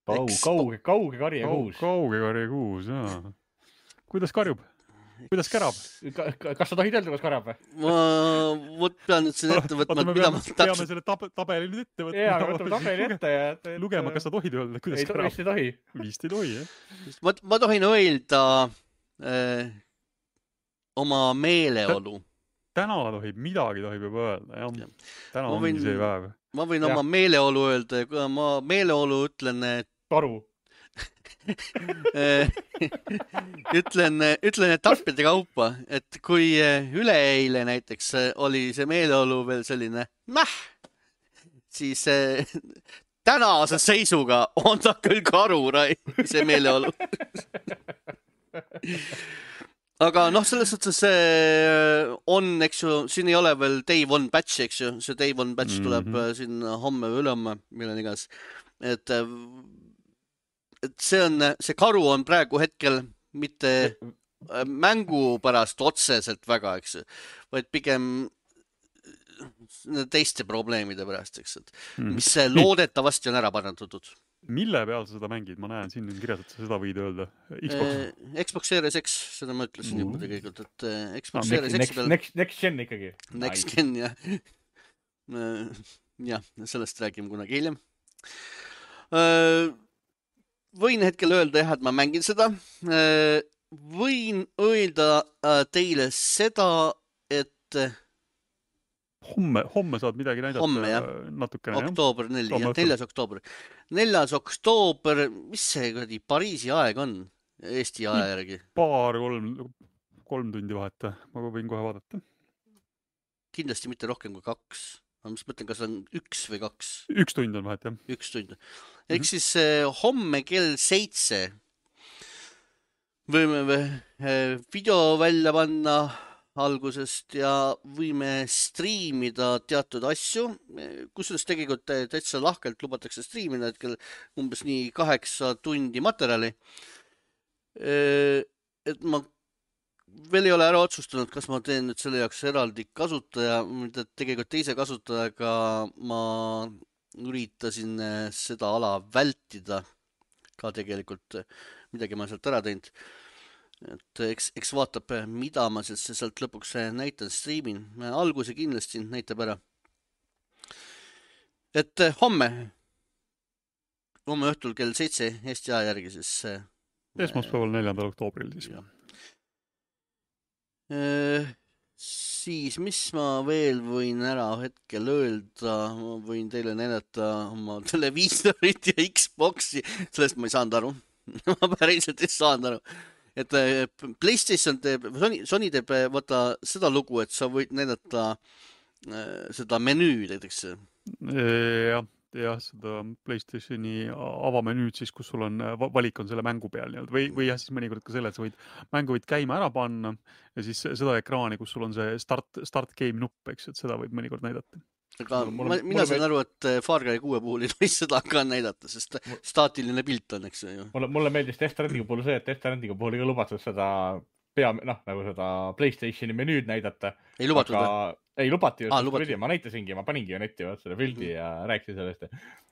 Kauge karje kuus. Kauge karje kuus, jaa. Kuidas karjub? Kuidas kärab? Kas sa tohid öelda, kuidas karjab või? Ma pean nüüd siin ette võtma, mida ma täpselt... Peame selle tabeli nüüd ette võtma. Jaa, võtame tabeli ette ja... Lugema, kas sa tohid öelda, kuidas kärab? Vist ei tohi. Vist ei tohi, jah. Ma tohin öelda oma meeleolu. Täna midagi tohib juba öelda, jah. Täna ongi see päev. Ma võin oma meeleolu öelda ja kui ma meeleolu ütlen, et... Karu. ütlen etappide kaupa, et kui üleeile näiteks oli see meeleolu veel selline siis tänase seisuga on ta küll karu, see meeleolu. Aga selles suhtes on, eks ju, siin ei ole veel Day One patch, eks ju, see Day One patch tuleb siin homme või ülehomme, millal igas, et see karu on praegu hetkel mitte mängu pärast otseselt väga, eks ju, vaid pigem teiste probleemide pärast, eks, et mis loodetavasti on ära parandatud. Mille peal sa seda mängid? Ma näen siin kirjas, et sa seda võid öelda. Xbox Series X, seda ma ütlesin juba tegelikult, et Xbox Series X peal... Next gen ikkagi. Next gen, jah. Jah, sellest räägime kunagi hiljem. Võin hetkel öelda, et ma mängin seda. Võin öelda teile seda, et Homme saad midagi näidata. Homme, jah. Natukene, oktoober 4. oktoober. 4. oktoober, mis see Pariisi aeg on Eesti aja järgi? Kolm tundi vaheta. Ma võin kohe vaadata. Kindlasti mitte rohkem kui 2. Ma mõtlen, kas on 1 või 2. 1 tund on vahet, jah. 1 tund. Ehk siis homme kell 7 võime video välja panna algusest ja võime striimida teatud asju, kusjuures tegelikult täitsa lahkelt lubatakse striimida hetkel umbes nii 8 tundi materjali. Et ma veel ei ole ära otsustanud, kas ma teen nüüd selle jaoks eraldi kasutaja, mida tegelikult teise kasutajaga ma üritasin seda ala vältida ka tegelikult, midagi ma sealt ära teinud. Et eks vaatab, mida ma sealt lõpuks näitan, striimin. Alguse kindlasti näitab ära. Et homme õhtul kell 7 Eesti aja järgi siis... Esmaspäeval 4. oktoobril siis. Siis, mis ma veel võin ära hetkel öelda? Ma võin teile näidata oma televiisorit ja Xboxi. Sellest ma ei saanud aru. Ma päriselt ei saanud aru. Et PlayStation teeb, Sony teeb seda lugu, et sa võid näidata seda menüüd, näiteks. Jah, seda PlayStationi avamenüüd siis, kus sul on valik on selle mängu peal või jah, siis mõnikord ka selle, et sa mängu võid käima ära panna ja siis seda ekraani, kus sul on see start game nupp, eks, et seda võib mõnikord näidata. Aga mina sain aru, et Far Cry 6 puhul ei tohi seda ka näidata, sest staatiline pilt on, eks ju. Mulle meeldis Death Strandingu puhul see, et Death Strandingu puhul ei lubatud seda nagu seda PlayStationi menüüd näidata. Ei lubatud või? Ei lubati just, lubati. ma näitasingi, ma paningi ju netti selle pildi ja rääkisin sellest.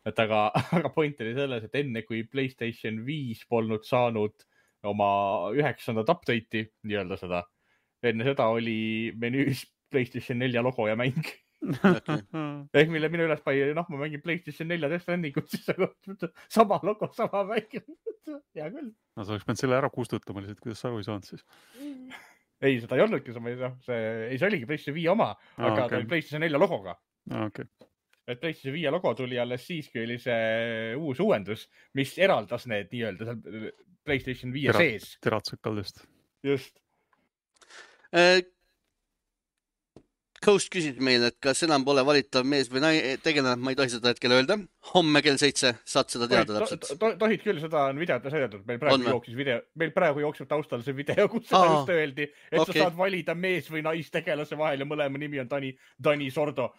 Et aga point oli selles, et enne kui PlayStation 5 polnud saanud oma 9. update'i, nii-öelda seda, enne seda oli menüüs PlayStation 4 logo ja mäng. Okay. Ehk mille minu üles pai, ma mängin PlayStation 4 Death Strandingut, siis sama logo, sama mäng. Hea küll. No sa oleks pidanud selle ära kustutama lihtsalt, kuidas sa aru ei saanud siis. Ei, seda ei olnudki, see oligi PlayStation 5 oma, aga ta oli PlayStation 4 logoga. Okay. Et PlayStation 5 logo tuli alles siis, kui oli see uus uuendus, mis eraldas need nii-öelda seal PlayStation 5 sees. Teratsõkaldest. Just. Ghost küsis meile, et kas enam pole valitav mees või tegelane, ma ei tohi seda hetkel öelda. Homme kell 7 saad seda teada täpselt. Tohid küll, seda on videotes näidatud. Meil praegu jookseb taustal see video, kus seda just öeldi, et sa saad valida mees või naistegelase vahel ja mõlema nimi on Dani Sordo.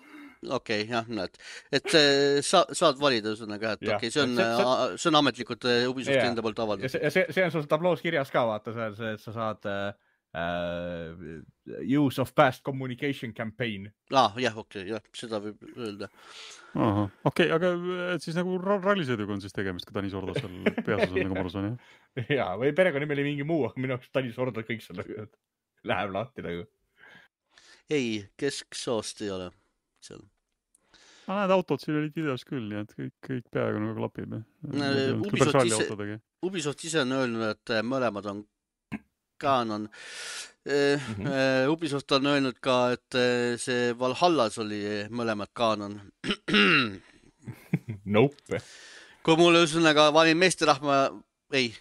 Okei, jah, näed. Et saad valida ühesõnaga, et okei, see on ametlikult Ubisofti enda poolt avaldatud. See on sul tabloos kirjas ka, vaata, et sa saad use of past communication campaign. Jah, okei, seda võib öelda. Okei, aga siis nagu rallisõiduga on siis tegemist, kui Dani Sordo seal peas on nagu marus on, jah? Jaa, või perekonnimel ei mingi muu, aga minu jaoks Dani Sordo kõik seal läheb lahti nagu. Ei, kesksoost ei ole seal. Need autod siin olid videos küll, nii et kõik peaaegu nagu klapib. Ubisoft ise on öelnud, et mõlemad on Canon. Ubisoft on öelnud ka, et see Valhallas oli mõlemad Canon. Nope. Kui mul ühesõnaga valin meesterahva... Ei,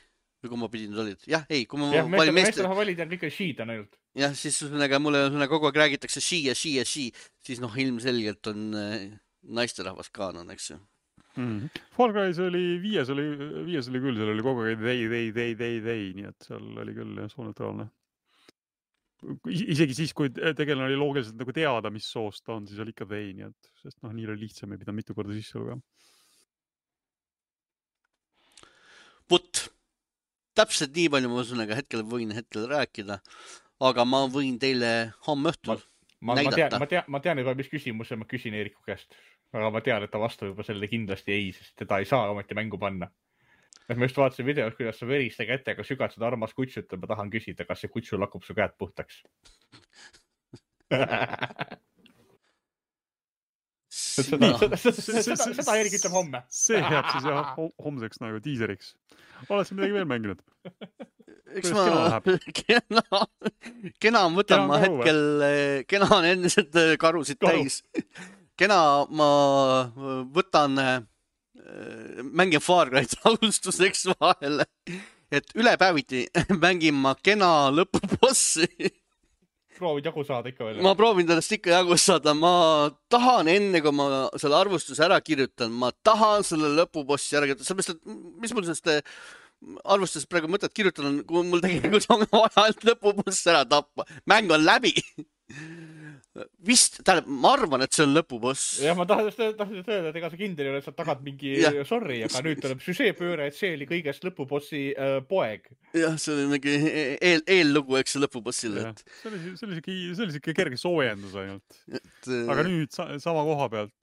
või kui ma pidin olid. Jah, ei, kui ma valin meesterahva valid ja kõik on she'd on ainult. Jah, siis ühesõnaga mulle kogu aeg räägitakse she, siis ilmselgelt on naisterahvas Canon, eks ju. Far Cry's oli viies oli küll, seal oli kogu aeg they, nii et seal oli küll sooneutraalne. Isegi siis, kui tegelane oli loogiliselt nagu teada, mis soost ta on, siis oli ikka they, nii et sest nii oli lihtsam, ei pidanud mitu korda sisse lugema. Täpselt nii palju ma ühesõnaga võin hetkel rääkida, aga ma võin teile homme õhtul näidata. Ma tean juba, mis küsimuse ma küsin Eeriku käest. Aga ma tean, et ta vastab juba sellele kindlasti ei, sest teda ei saa ometi mängu panna. Et ma just vaatasin videos, kuidas sa veriste kätega sügad seda armas kutsut ja ma tahan küsida, kas see kutsu lakub su käed puhtaks. Seda Eerik ütleb homme. See jääb siis jah homseks nagu tiiseriks. Oled sa midagi veel mänginud? Eks kena võtan ma hetkel, kena on endiselt karusid täis. Kena ma võtan, mängin Far Cry'd alustuseks vahele, et ülepäeviti mängin ma kena lõpubossi. Proovid jagu saada ikka veel? Ma proovin sellest ikka jagu saada. Ma tahan enne, kui ma selle arvustuse ära kirjutan, ma tahan selle lõpubossi ära kirjutada. Sellepärast, et mis mul sellest arvustusest praegu mõtet kirjutan, kui mul tegelikult on vaja ainult lõpuboss ära tappa. Mäng on läbi. Vist, ma arvan, et see on lõpuboss. Ja ma tahan öelda, et ega sa kindel ei ole, et sa tagad mingi sorry, aga nüüd tuleb süžeepööre, et see oli kõigest lõpubossi poeg. Jah, see oli mingi eellugu, eks see lõpubossile. See oli siuke kerge soojendus ainult. Aga nüüd sama koha pealt,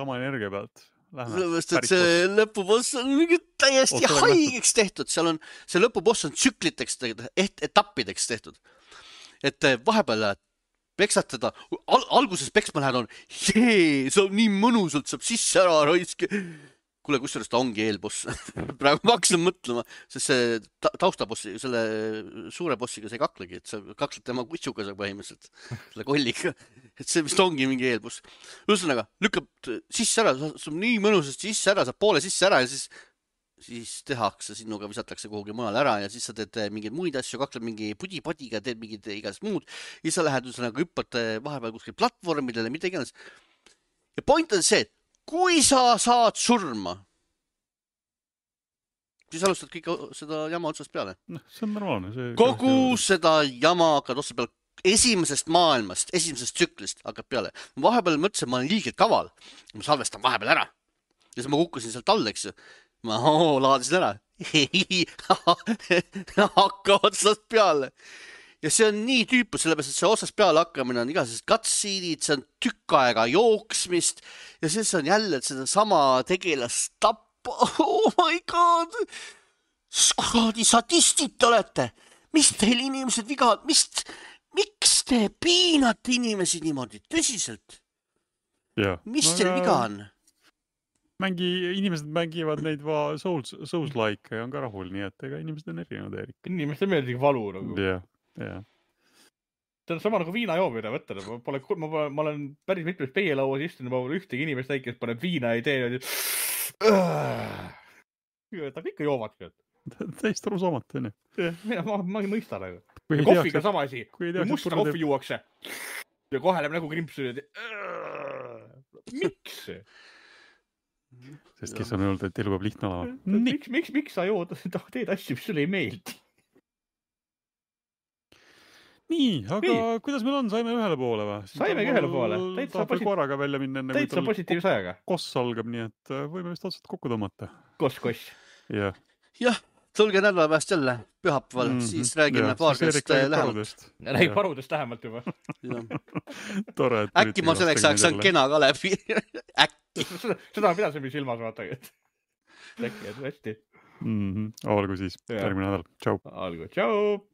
sama energia pealt. Sellepärast, et see lõpuboss on mingi täiesti haigeks tehtud. See lõpuboss on tsükliteks tehtud, etappideks tehtud. Et vahepeal peksad teda, alguses peksma lähed see on nii mõnusalt, saab sisse ära raiski. Kuule, kusjuures ta ongi eelboss. Praegu ma hakkasin mõtlema, sest see taustabossi, selle suure bossiga see ei kaklegi, et sa kakled tema kutsuga põhimõtteliselt, selle kolliga. Et see vist ongi mingi eelboss. Ühesõnaga, lükkab sisse ära, saab nii mõnusasti sisse ära, saab poole sisse ära ja siis tehakse sinuga, visatakse kuhugi mujal ära ja siis sa teed mingeid muid asju, kakled mingi pudi-padiga, teed mingid igast muud ja sa lähed ühesõnaga hüppad vahepeal kuskil platvormidele, mida iganes. Ja point on see, et kui sa saad surma, siis alustad kõik seda jama otsast peale. See on normaalne. Kogu seda jama hakkad otsast peale. Esimesest maailmast, esimesest tsüklist hakkab peale. Vahepeal mõtlesin, et ma olen liigelt kaval. Ma salvestan vahepeal ära. Ja siis ma kukkusin sealt all, eks ju. Ma laadisin ära. Hakka otsast peale. ja see on nii tüüpu, sellepärast, et see otsast peale hakkamine on igasugused cutscene'id, see on tükk aega jooksmist ja siis on jälle sedasama tegelast tappa. Oh my god! Kuradi sadistid te olete! Mis teil inimesed viga on? Miks te piinate inimesi niimoodi? Tõsiselt? Mis teil viga on? Inimesed mängivad neid Souls-like ja on ka rahul, nii et ega inimesed on erinevad, Erik. Inimesed meeldib valu nagu. Jah. See on sama nagu viina joomine, võtta. Ma olen päris mitmes peielauas istunud, ma pole ühtegi inimest näinud, kes paneb viina ja tee. Ta ikka joovad. Täist arusaamatu, on ju. Ma ei mõista nagu. Kohviga sama asi. Kui musta kohvi juuakse ja kohe läheb nagu krimpsu. Miks? Sest kes on öelnud, et elu peab lihtne olema. Miks sa jood, teed asju, mis sulle ei meeldi? Nii, aga kuidas meil on? Saime ühele poole või? Saimegi ühele poole. Tahab korraga välja minna. Täitsa positiivse ajaga. Koss algab, nii et võime vist otsad kokku tõmmata. Koss. Jah, tulge nädala pääst jälle pühapäeval, siis räägime paarkast lähemalt. Räägib parudest lähemalt juba. Tore. Äkki ma selleks ajaks saan kena ka läbi. Äkki. Seda pidasime silmas vaata. Äkki, et hästi. Olgu siis, järgmine nädal. Tšau. Olgu, tšau.